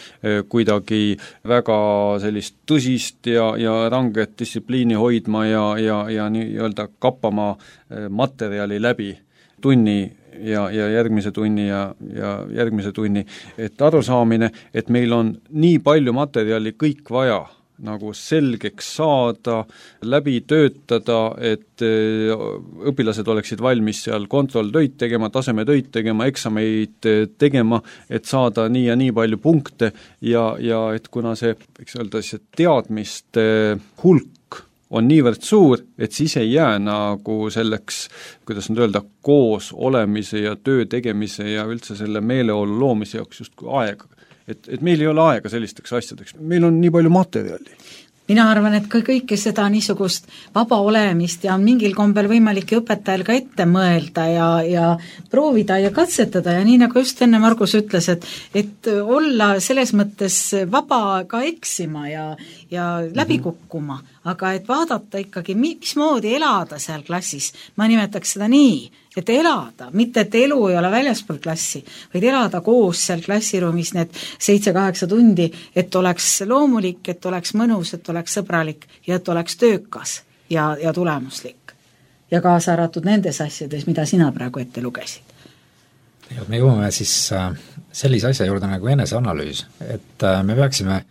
kuidagi väga sellist tõsist ja ranget distsipliini hoidma ja nii-öelda kappama materjali läbi tunni ja järgmise tunni ja järgmise tunni, et arusaamine, et meil on nii palju materjali kõik vaja nagu selgeks saada, läbi töötada, et õpilased oleksid valmis seal kontrolltöid tegema, tasemetöid tegema, eksameid tegema, et saada nii ja nii palju punkte ja et kuna see, võiks öelda, see teadmiste hulk on niivõrd suur, et siis ei jää nagu selleks, kuidas nüüd öelda, koos olemise ja töö tegemise ja üldse selle meeleolu loomise jaoks justkui aega. Et meil ei ole aega sellisteks asjadeks, meil on nii palju materjali. Mina arvan, et kõike seda niisugust vaba olemist ja mingil kombel võimalik õpetajal ka ette mõelda ja proovida ja katsetada ja nii nagu just enne Margus ütles, et olla selles mõttes vaba ka eksima ja läbi kukkuma, aga et vaadata ikkagi, mismoodi elada seal klassis, ma nimetaks seda nii, et elada, mitte et elu ei ole väljaspool klassi, vaid elada koos seal klassiruumis need 7-8 tundi, et oleks loomulik, et oleks mõnus, et oleks sõbralik ja et oleks töökas ja tulemuslik. Ja kaasa arvatud nendes asjades, mida sina praegu ette lugesid. Ja me jõuame siis sellise asja juurde nagu eneseanalüüs, et me peaksime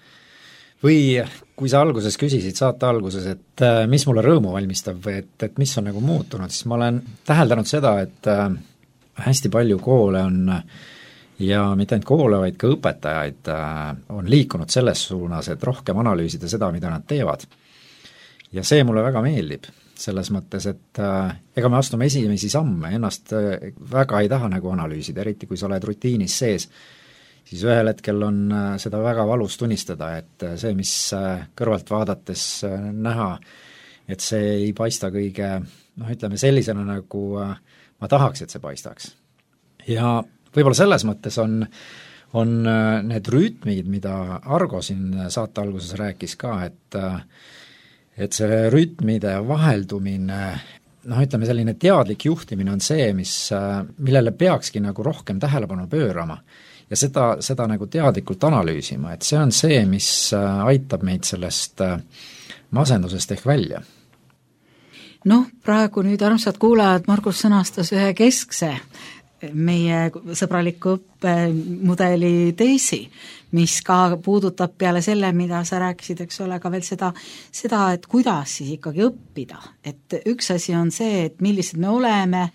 või kui sa alguses küsisid saate alguses, et mis mulle rõõmu valmistab või et mis on nagu muutunud, siis ma olen täheldanud seda, et hästi palju koole on ja mitte ainult koole, vaid ka õpetajaid on liikunud selles suunas, et rohkem analüüsida seda, mida nad teevad. Ja see mulle väga meeldib, selles mõttes, et ega me astume esimesi samme, ennast väga ei taha nagu analüüsida, eriti kui sa oled rutiinis sees, siis ühel hetkel on seda väga valus tunnistada, et see, mis kõrvalt vaadates näha, et see ei paista kõige, ütleme sellisena, nagu ma tahaks, et see paistaks. Ja võib-olla selles mõttes on need rütmid, mida Argo siin saate alguses rääkis ka, et see rütmide vaheldumine, ütleme selline teadlik juhtimine on see, millele peakski nagu rohkem tähelepanu pöörama. Ja seda nagu teadlikult analüüsima, et see on see, mis aitab meid sellest masendusest ehk välja. Praegu nüüd armsad kuulajad, Margus sõnastas ühe keskse meie sõbraliku õppemudeli teesi, mis ka puudutab peale selle, mida sa rääkisid, eks ole, ka veel seda, et kuidas siis ikkagi õppida. Et üks asi on see, et millised me oleme,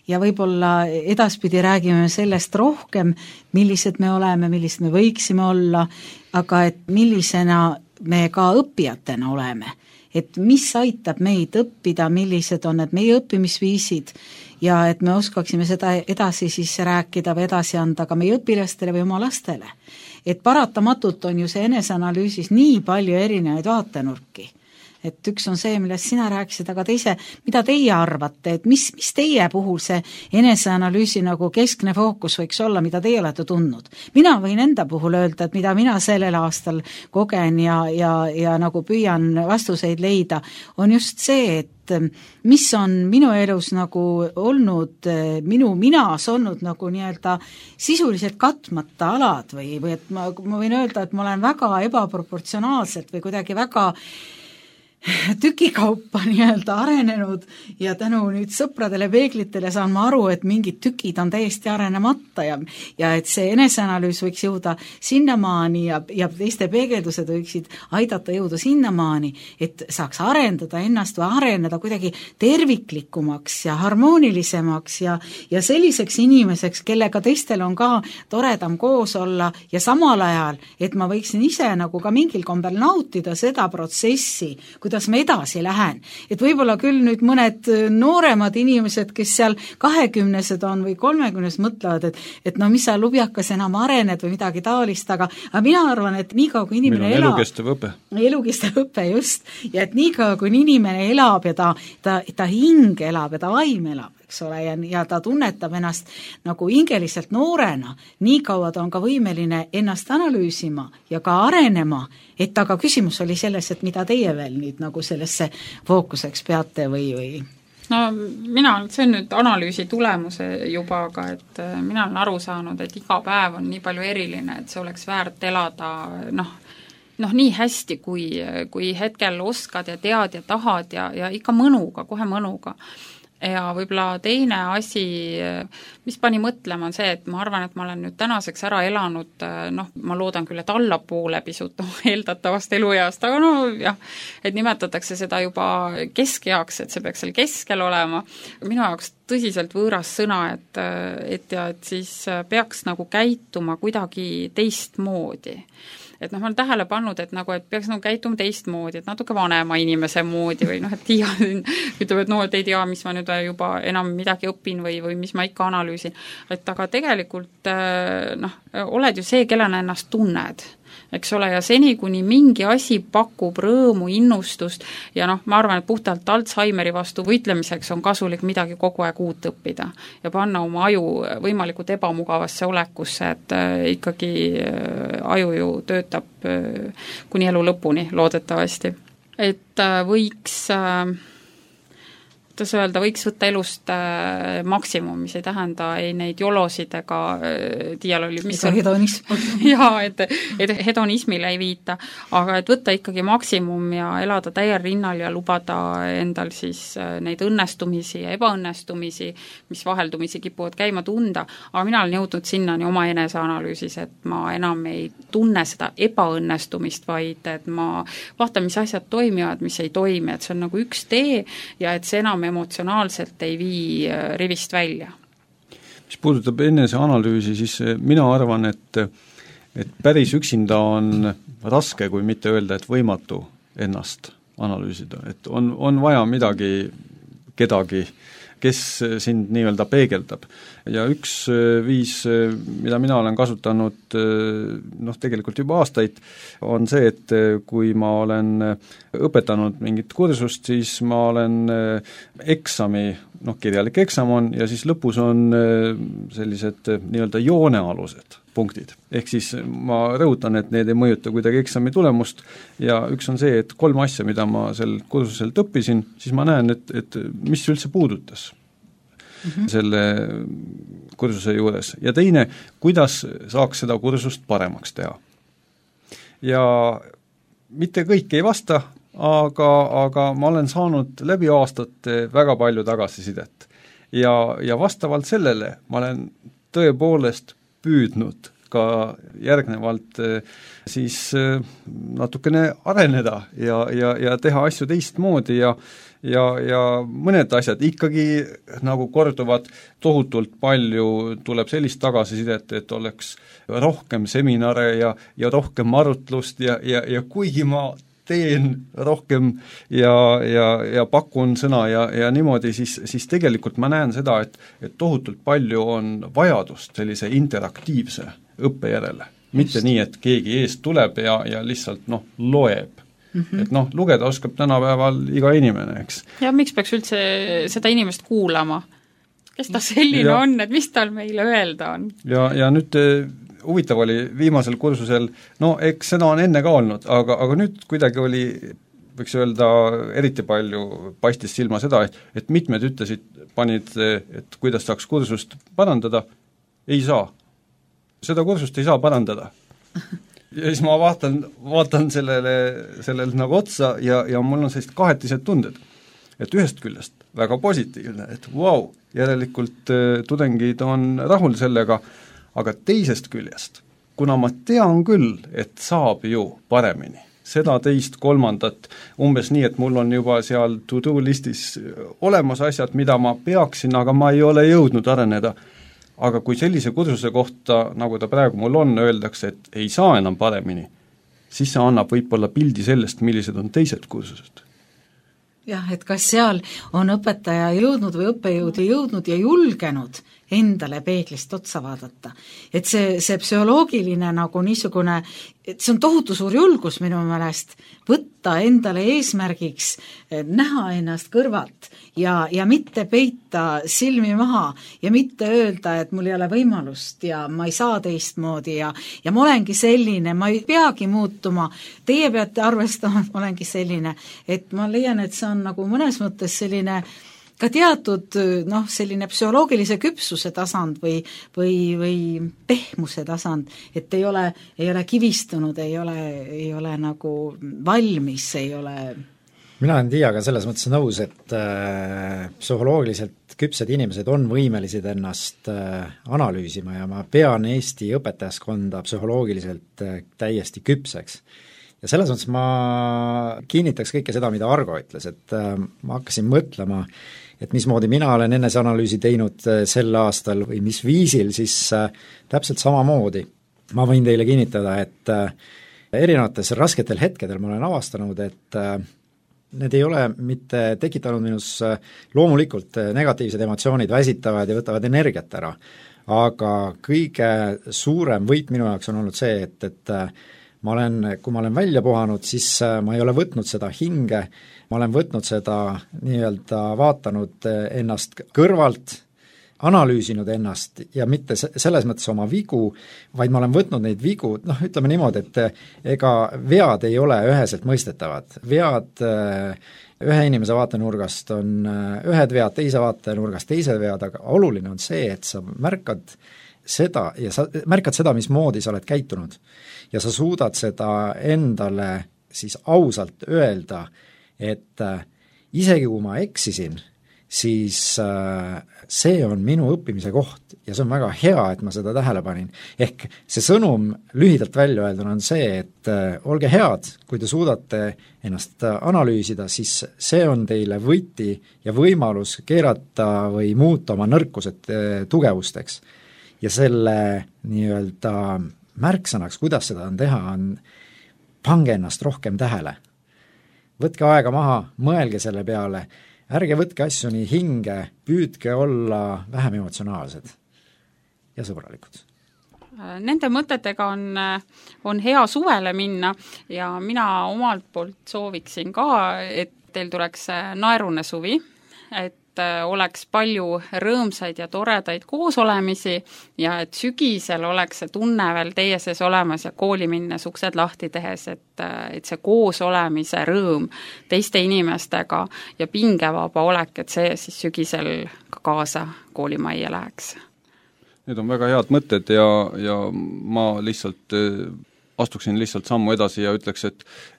ja võib-olla edaspidi räägime sellest rohkem, millised me oleme, millised me võiksime olla, aga et millisena me ka õppijatena oleme. Et mis aitab meid õppida, millised on need meie õppimisviisid ja et me oskaksime seda edasi siis rääkida või edasi anda ka meie õpilastele või oma lastele. Et paratamatult on ju see eneseanalüüsis nii palju erinevaid vaatenurki. Et üks on see, millest sina rääkisid, aga teise, mida teie arvate, et mis teie puhul see eneseanalüüsi nagu keskne fookus võiks olla, mida teie olete tundnud? Mina võin enda puhul öelda, et mida mina sellel aastal kogen ja nagu püüan vastuseid leida, on just see, et mis on minu elus nagu olnud, minu minas olnud nagu nii-öelda sisuliselt katmata alad või et ma võin öelda, et ma olen väga ebaproportsionaalselt või kuidagi väga tükikaupa nii-öelda arenenud ja tänu nüüd sõpradele peeglitele saan ma aru, et mingid tükid on täiesti arenemata ja et see eneseanalüüs võiks jõuda sinnamaani ja teiste peegeldused võiksid aidata jõuda sinnamaani, et saaks arendada ennast või areneda kuidagi terviklikumaks ja harmoonilisemaks ja selliseks inimeseks, kellega teistel on ka toredam koos olla ja samal ajal, et ma võiksin ise nagu ka mingil kombel nautida seda protsessi, kuidas ma edasi lähen. Et võib-olla küll nüüd mõned nooremad inimesed, kes seal 20-sed on või 30-s mõtlevad, et no mis sa lubjakas enam arened või midagi taolist, aga mina arvan, et nii kaua kui inimene elab... elukestev õpe. Elukestev õpe, just. Ja et nii kaua kui inimene elab ja ta hing elab ja ta vaim elab, eks ole, ja ta tunnetab ennast nagu hingeliselt noorena, nii kaua ta on ka võimeline ennast analüüsima ja ka arenema, et aga küsimus oli selles, et mida teie veel nüüd nagu sellesse fookuseks peate või? No see on nüüd analüüsi tulemuse juba, aga et mina olen aru saanud, et iga päev on nii palju eriline, et see oleks väärt elada nii hästi, kui hetkel oskad ja tead ja tahad ja ikka mõnuga, kohe mõnuga. Ja võib-olla teine asi, mis pani mõtlema, on see, et ma arvan, et ma olen nüüd tänaseks ära elanud, ma loodan küll, et allapoole pisut eeldatavast elueast, aga jah, et nimetatakse seda juba keskeaks, et see peaks seal keskel olema. Minu jaoks tõsiselt võõras sõna, et siis peaks nagu käituma kuidagi teistmoodi. Et ma olen tähele pannud, et peaks käituma teistmoodi, et natuke vanema inimese moodi või et Tiia ütleb, et ei tea, mis ma nüüd juba enam midagi õpin või mis ma ikka analüüsin. Et aga tegelikult oled ju see, kellena ennast tunned. Eks ole, ja seni, kuni mingi asi pakub rõõmu, innustust ja ma arvan, et puhtalt Alzheimeri vastu võitlemiseks on kasulik midagi kogu aeg uut õppida ja panna oma aju võimalikult ebamugavasse olekusse, et ikkagi aju ju töötab kuni elu lõpuni, loodetavasti. et võiks kuidas öelda, võiks võtta elust maksimum, mis ei tähenda ei neid jolosid ega tiial oli, mis on hedonism. jaa, et hedonismile ei viita, aga et võtta ikkagi maksimum ja elada täiel rinnal ja lubada endal siis neid õnnestumisi ja ebaõnnestumisi, mis vaheldumisi kipuvad käima tunda, aga mina olen jõudnud sinnani oma eneseanalüüsis, et ma enam ei tunne seda ebaõnnestumist, vaid et ma vaatan, mis asjad toimivad, mis ei toimi, et see on nagu üks tee ja et see enam emotsionaalselt ei vii rivist välja. Mis puudutab eneseanalüüsi, siis mina arvan, et päris üksinda on raske, kui mitte öelda, et võimatu ennast analüüsida, et on vaja kedagi, kes sind nii-öelda peegeldab. Ja üks viis, mida mina olen kasutanud tegelikult juba aastaid, on see, et kui ma olen õpetanud mingit kursust, siis ma olen eksami, kirjalik eksam on ja siis lõpus on sellised nii-öelda joonealused punktid. Ehk siis ma rõhutan, et need ei mõjuta kuidagi eksami tulemust ja üks on see, et 3 asja, mida ma sel kursuselt õppisin, siis ma näen, et mis üldse puudutas selle kursuse juures. Ja teine, kuidas saaks seda kursust paremaks teha. Ja mitte kõik ei vasta, aga ma olen saanud läbi aastate väga palju tagasisidet. Ja vastavalt sellele ma olen tõepoolest püüdnud ka järgnevalt siis natukene areneda ja teha asju teistmoodi ja mõned asjad ikkagi nagu korduvad tohutult palju, tuleb sellist tagasisidet, et oleks rohkem seminare ja rohkem arutlust ja kuigi ma teen rohkem ja pakun sõna ja niimoodi, siis tegelikult ma näen seda, et tohutult palju on vajadust sellise interaktiivse õppe järele. Mitte nii, et keegi eest tuleb ja lihtsalt loeb. Et lugeda oskab tänapäeval iga inimene, eks. Ja miks peaks üldse seda inimest kuulama? Kes ta selline on, et mis tal meile öelda on? Ja nüüd huvitav oli viimasel kursusel, eks seda on enne ka olnud, aga nüüd kuidagi oli, võiks öelda, eriti palju paistis silma seda, et mitmed panid, et kuidas saaks kursust parandada, ei saa. Seda kursust ei saa parandada. Ja siis ma vaatan sellele nagu otsa ja mul on sellised kahetised tunded, et ühest küljest väga positiivne, et vau, järelikult tudengid on rahul sellega, aga teisest küljest, kuna ma tean küll, et saab ju paremini, seda teist, kolmandat, umbes nii, et mul on juba seal to-do listis olemas asjad, mida ma peaksin, aga ma ei ole jõudnud areneda, aga kui sellise kursuse kohta, nagu ta praegu mul on, öeldakse, et ei saa enam paremini, siis see annab võib-olla pildi sellest, millised on teised kursused. Jah, et kas seal on õpetaja jõudnud või õppejõud jõudnud ja julgenud endale peeglist otsa vaadata. Et see psühholoogiline nagu niisugune, et see on tohutu suur julgus minu meelest võtta endale eesmärgiks näha ennast kõrvalt ja mitte peita silmi maha ja mitte öelda, et mul ei ole võimalust ja ma ei saa teistmoodi ja ma olengi selline, ma ei peagi muutuma, teie peate arvestama, et ma olengi selline, et ma leian, et see on nagu mõnes mõttes selline ka teatud selline psühholoogilise küpsuse tasand või pehmuse tasand, et ei ole kivistunud, ei ole nagu valmis, ei ole. Mina olen Tiiaga selles mõttes nõus, et psühholoogiliselt küpsed inimesed on võimelised ennast analüüsima ja ma pean Eesti õpetajaskonda psühholoogiliselt täiesti küpseks. Ja selles mõttes ma kinnitaks kõike seda, mida Argo ütles, et ma hakkasin mõtlema, et mismoodi mina olen eneseanalüüsi teinud sel aastal või mis viisil, siis täpselt samamoodi. Ma võin teile kinnitada, et erinevates rasketel hetkedel ma olen avastanud, et need ei ole mitte tekitanud minus loomulikult negatiivsed emotsioonid väsitavad ja võtavad energiat ära, aga kõige suurem võit minu jaoks on olnud see, et kui ma olen välja puhanud, siis ma ei ole võtnud seda hinge, ma olen võtnud seda nii-öelda vaatanud ennast kõrvalt, analüüsinud ennast ja mitte selles mõttes oma vigu, vaid ma olen võtnud neid vigu, ütleme niimoodi, et ega vead ei ole üheselt mõistetavad. Vead ühe inimese vaatenurgast on ühed vead, teise vaatenurgast teised vead, aga oluline on see, et sa märkad seda ja sa märkad seda, mismoodi sa oled käitunud. Ja sa suudad seda endale siis ausalt öelda, et isegi kui ma eksisin, siis see on minu õppimise koht ja see on väga hea, et ma seda tähele panin. Ehk see sõnum lühidalt välja öelduna on see, et olge head, kui te suudate ennast analüüsida, siis see on teile võti ja võimalus keerata või muuta oma nõrkused tugevusteks. Ja selle nii-öelda märksõnaks, kuidas seda on teha, on pange ennast rohkem tähele. Võtke aega maha, mõelge selle peale, ärge võtke asju nii hinge, püüdke olla vähem emotsionaalsed ja sõbralikud. Nende mõtetega on hea suvele minna ja mina omalt poolt sooviksin ka, et teil tuleks naerune suvi, et oleks palju rõõmsaid ja toredaid koosolemisi ja et sügisel oleks see tunne veel teie sees olemas ja kooli minnes uksed lahti tehes, et see koos olemise rõõm teiste inimestega ja pingevaba olek, et see siis sügisel ka kaasa koolimajja läheks. Need on väga head mõtted ja ma lihtsalt astuksin lihtsalt sammu edasi ja ütleks,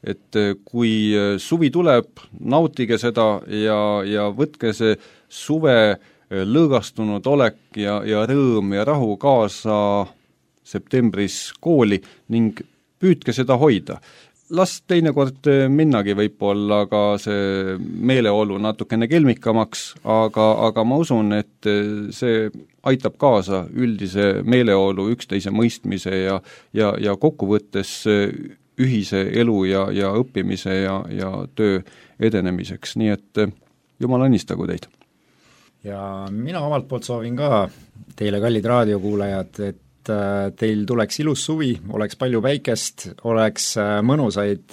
et kui suvi tuleb, nautige seda ja võtke see suve lõõgastunud olek ja rõõm ja rahu kaasa septembris kooli ning püüdke seda hoida. Las teinekord minnagi võib-olla ka see meeleolu natukene kelmikamaks, aga ma usun, et see aitab kaasa üldise meeleolu, üksteise mõistmise ja kokkuvõttes ühise elu ja õppimise ja töö edenemiseks, nii et Jumal õnnistagu teid. Ja mina omalt poolt soovin ka teile, kallid raadiokuulajad, et teil tuleks ilus suvi, oleks palju päikest, oleks mõnusaid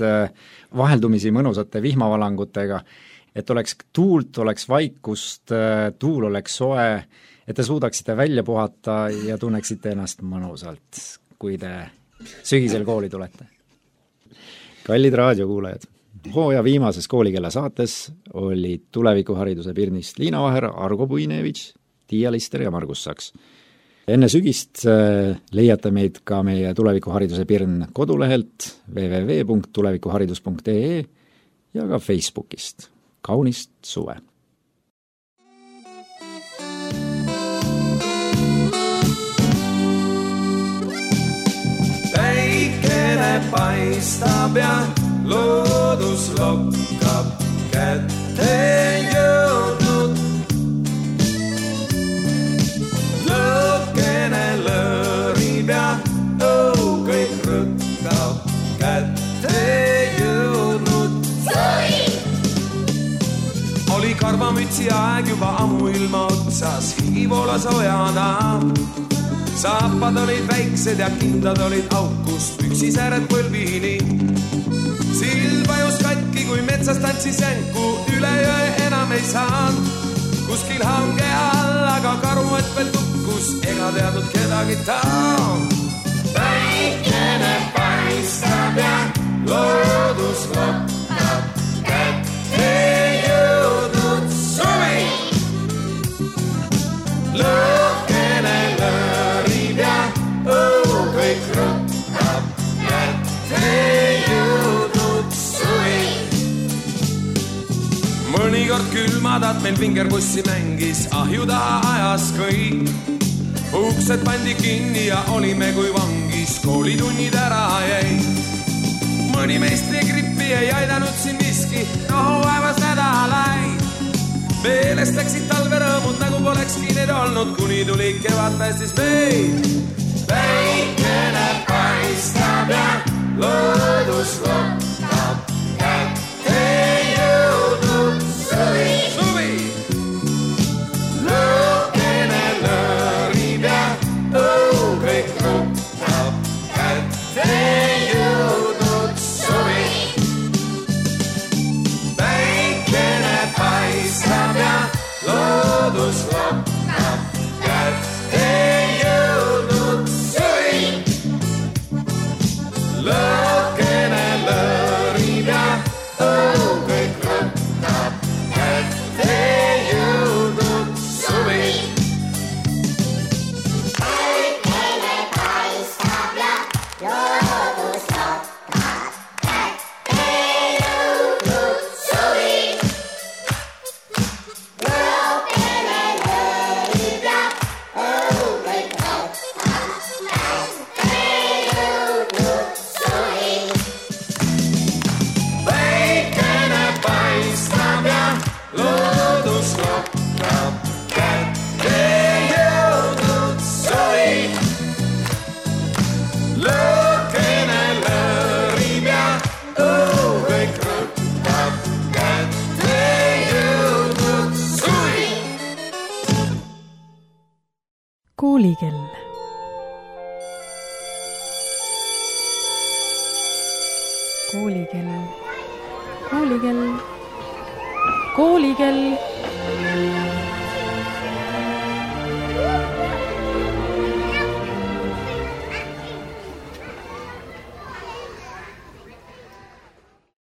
vaheldumisi mõnusate vihmavalangutega, et oleks tuult, oleks vaikust, tuul oleks soe, et te suudaksite välja puhata ja tunneksite ennast mõnusalt, kui te sügisel kooli tulete. Kallid raadiokuulajad, hooaja viimases Koolikella saates olid tulevikuhariduse Pirnist Liina Vaher, Argo Puinevitš, Tiia Lister ja Margus Saks. Enne sügist leiate meid ka meie tulevikuhariduse Pirn kodulehelt www.tulevikuharidus.ee ja ka Facebookist. Kaunist suve! Päikene paistab ja loodus lokkab kätte jõudnud. Lõkkene lõõrib ja kõik rõkkab kätte jõudnud. Oli karvamütsi aeg juba ammu ilma otsas, higi voolas ojana. Saapad olid väiksed ja kindad olid aukust, püksisääred põlvini. Sild vajus katki, kui metsas tantsis jänku, üle jõe enam ei saanud. Kuskil hange all, aga karuet veel tukkus, ega teadnud kedagi ta on. Päikene paistab ja loodus lokkab kätte jõudnud suvi. Lõkkene lõõrib ja kõik rõkkab kätte jõudnud suvi. Mõnikord külmadad meil vingerpussi mängis, ahju taha ajas kõik. Uksed pandi kinni ja olime kui vangis, koolitunnid ära jäi. Mõni meistri grippi ei aidanud siin miski, vaevas nädalaid. Meelest läksid talverõõmud, nagu polekski need olnud, kuni tuli kevad päästis meid. Päikene paistab ja loodus lokkab kätte jõudnud suvi. Lõkkene lõõrib ja kõik rõkkab kätte jõudnud suvi. Päikene paistab ja loodus lokkab kätte jõudnud suvi. Lõõkene lõõrib ja kõik rõtab, kätte jõudnud suvi. Päikene paistab ja loodus loodab, kätte jõudnud suvi. Lõõkene lõõrib ja kõik rõtab, kätte jõudnud suvi. Päikene paistab ja loodus loodab, kätte jõudnud suvi. Lõõkene lõõrib ja kõik rõtab, kätte jõudnud suvi. Koolikell. Koolikell. Koolikell. Koolikell.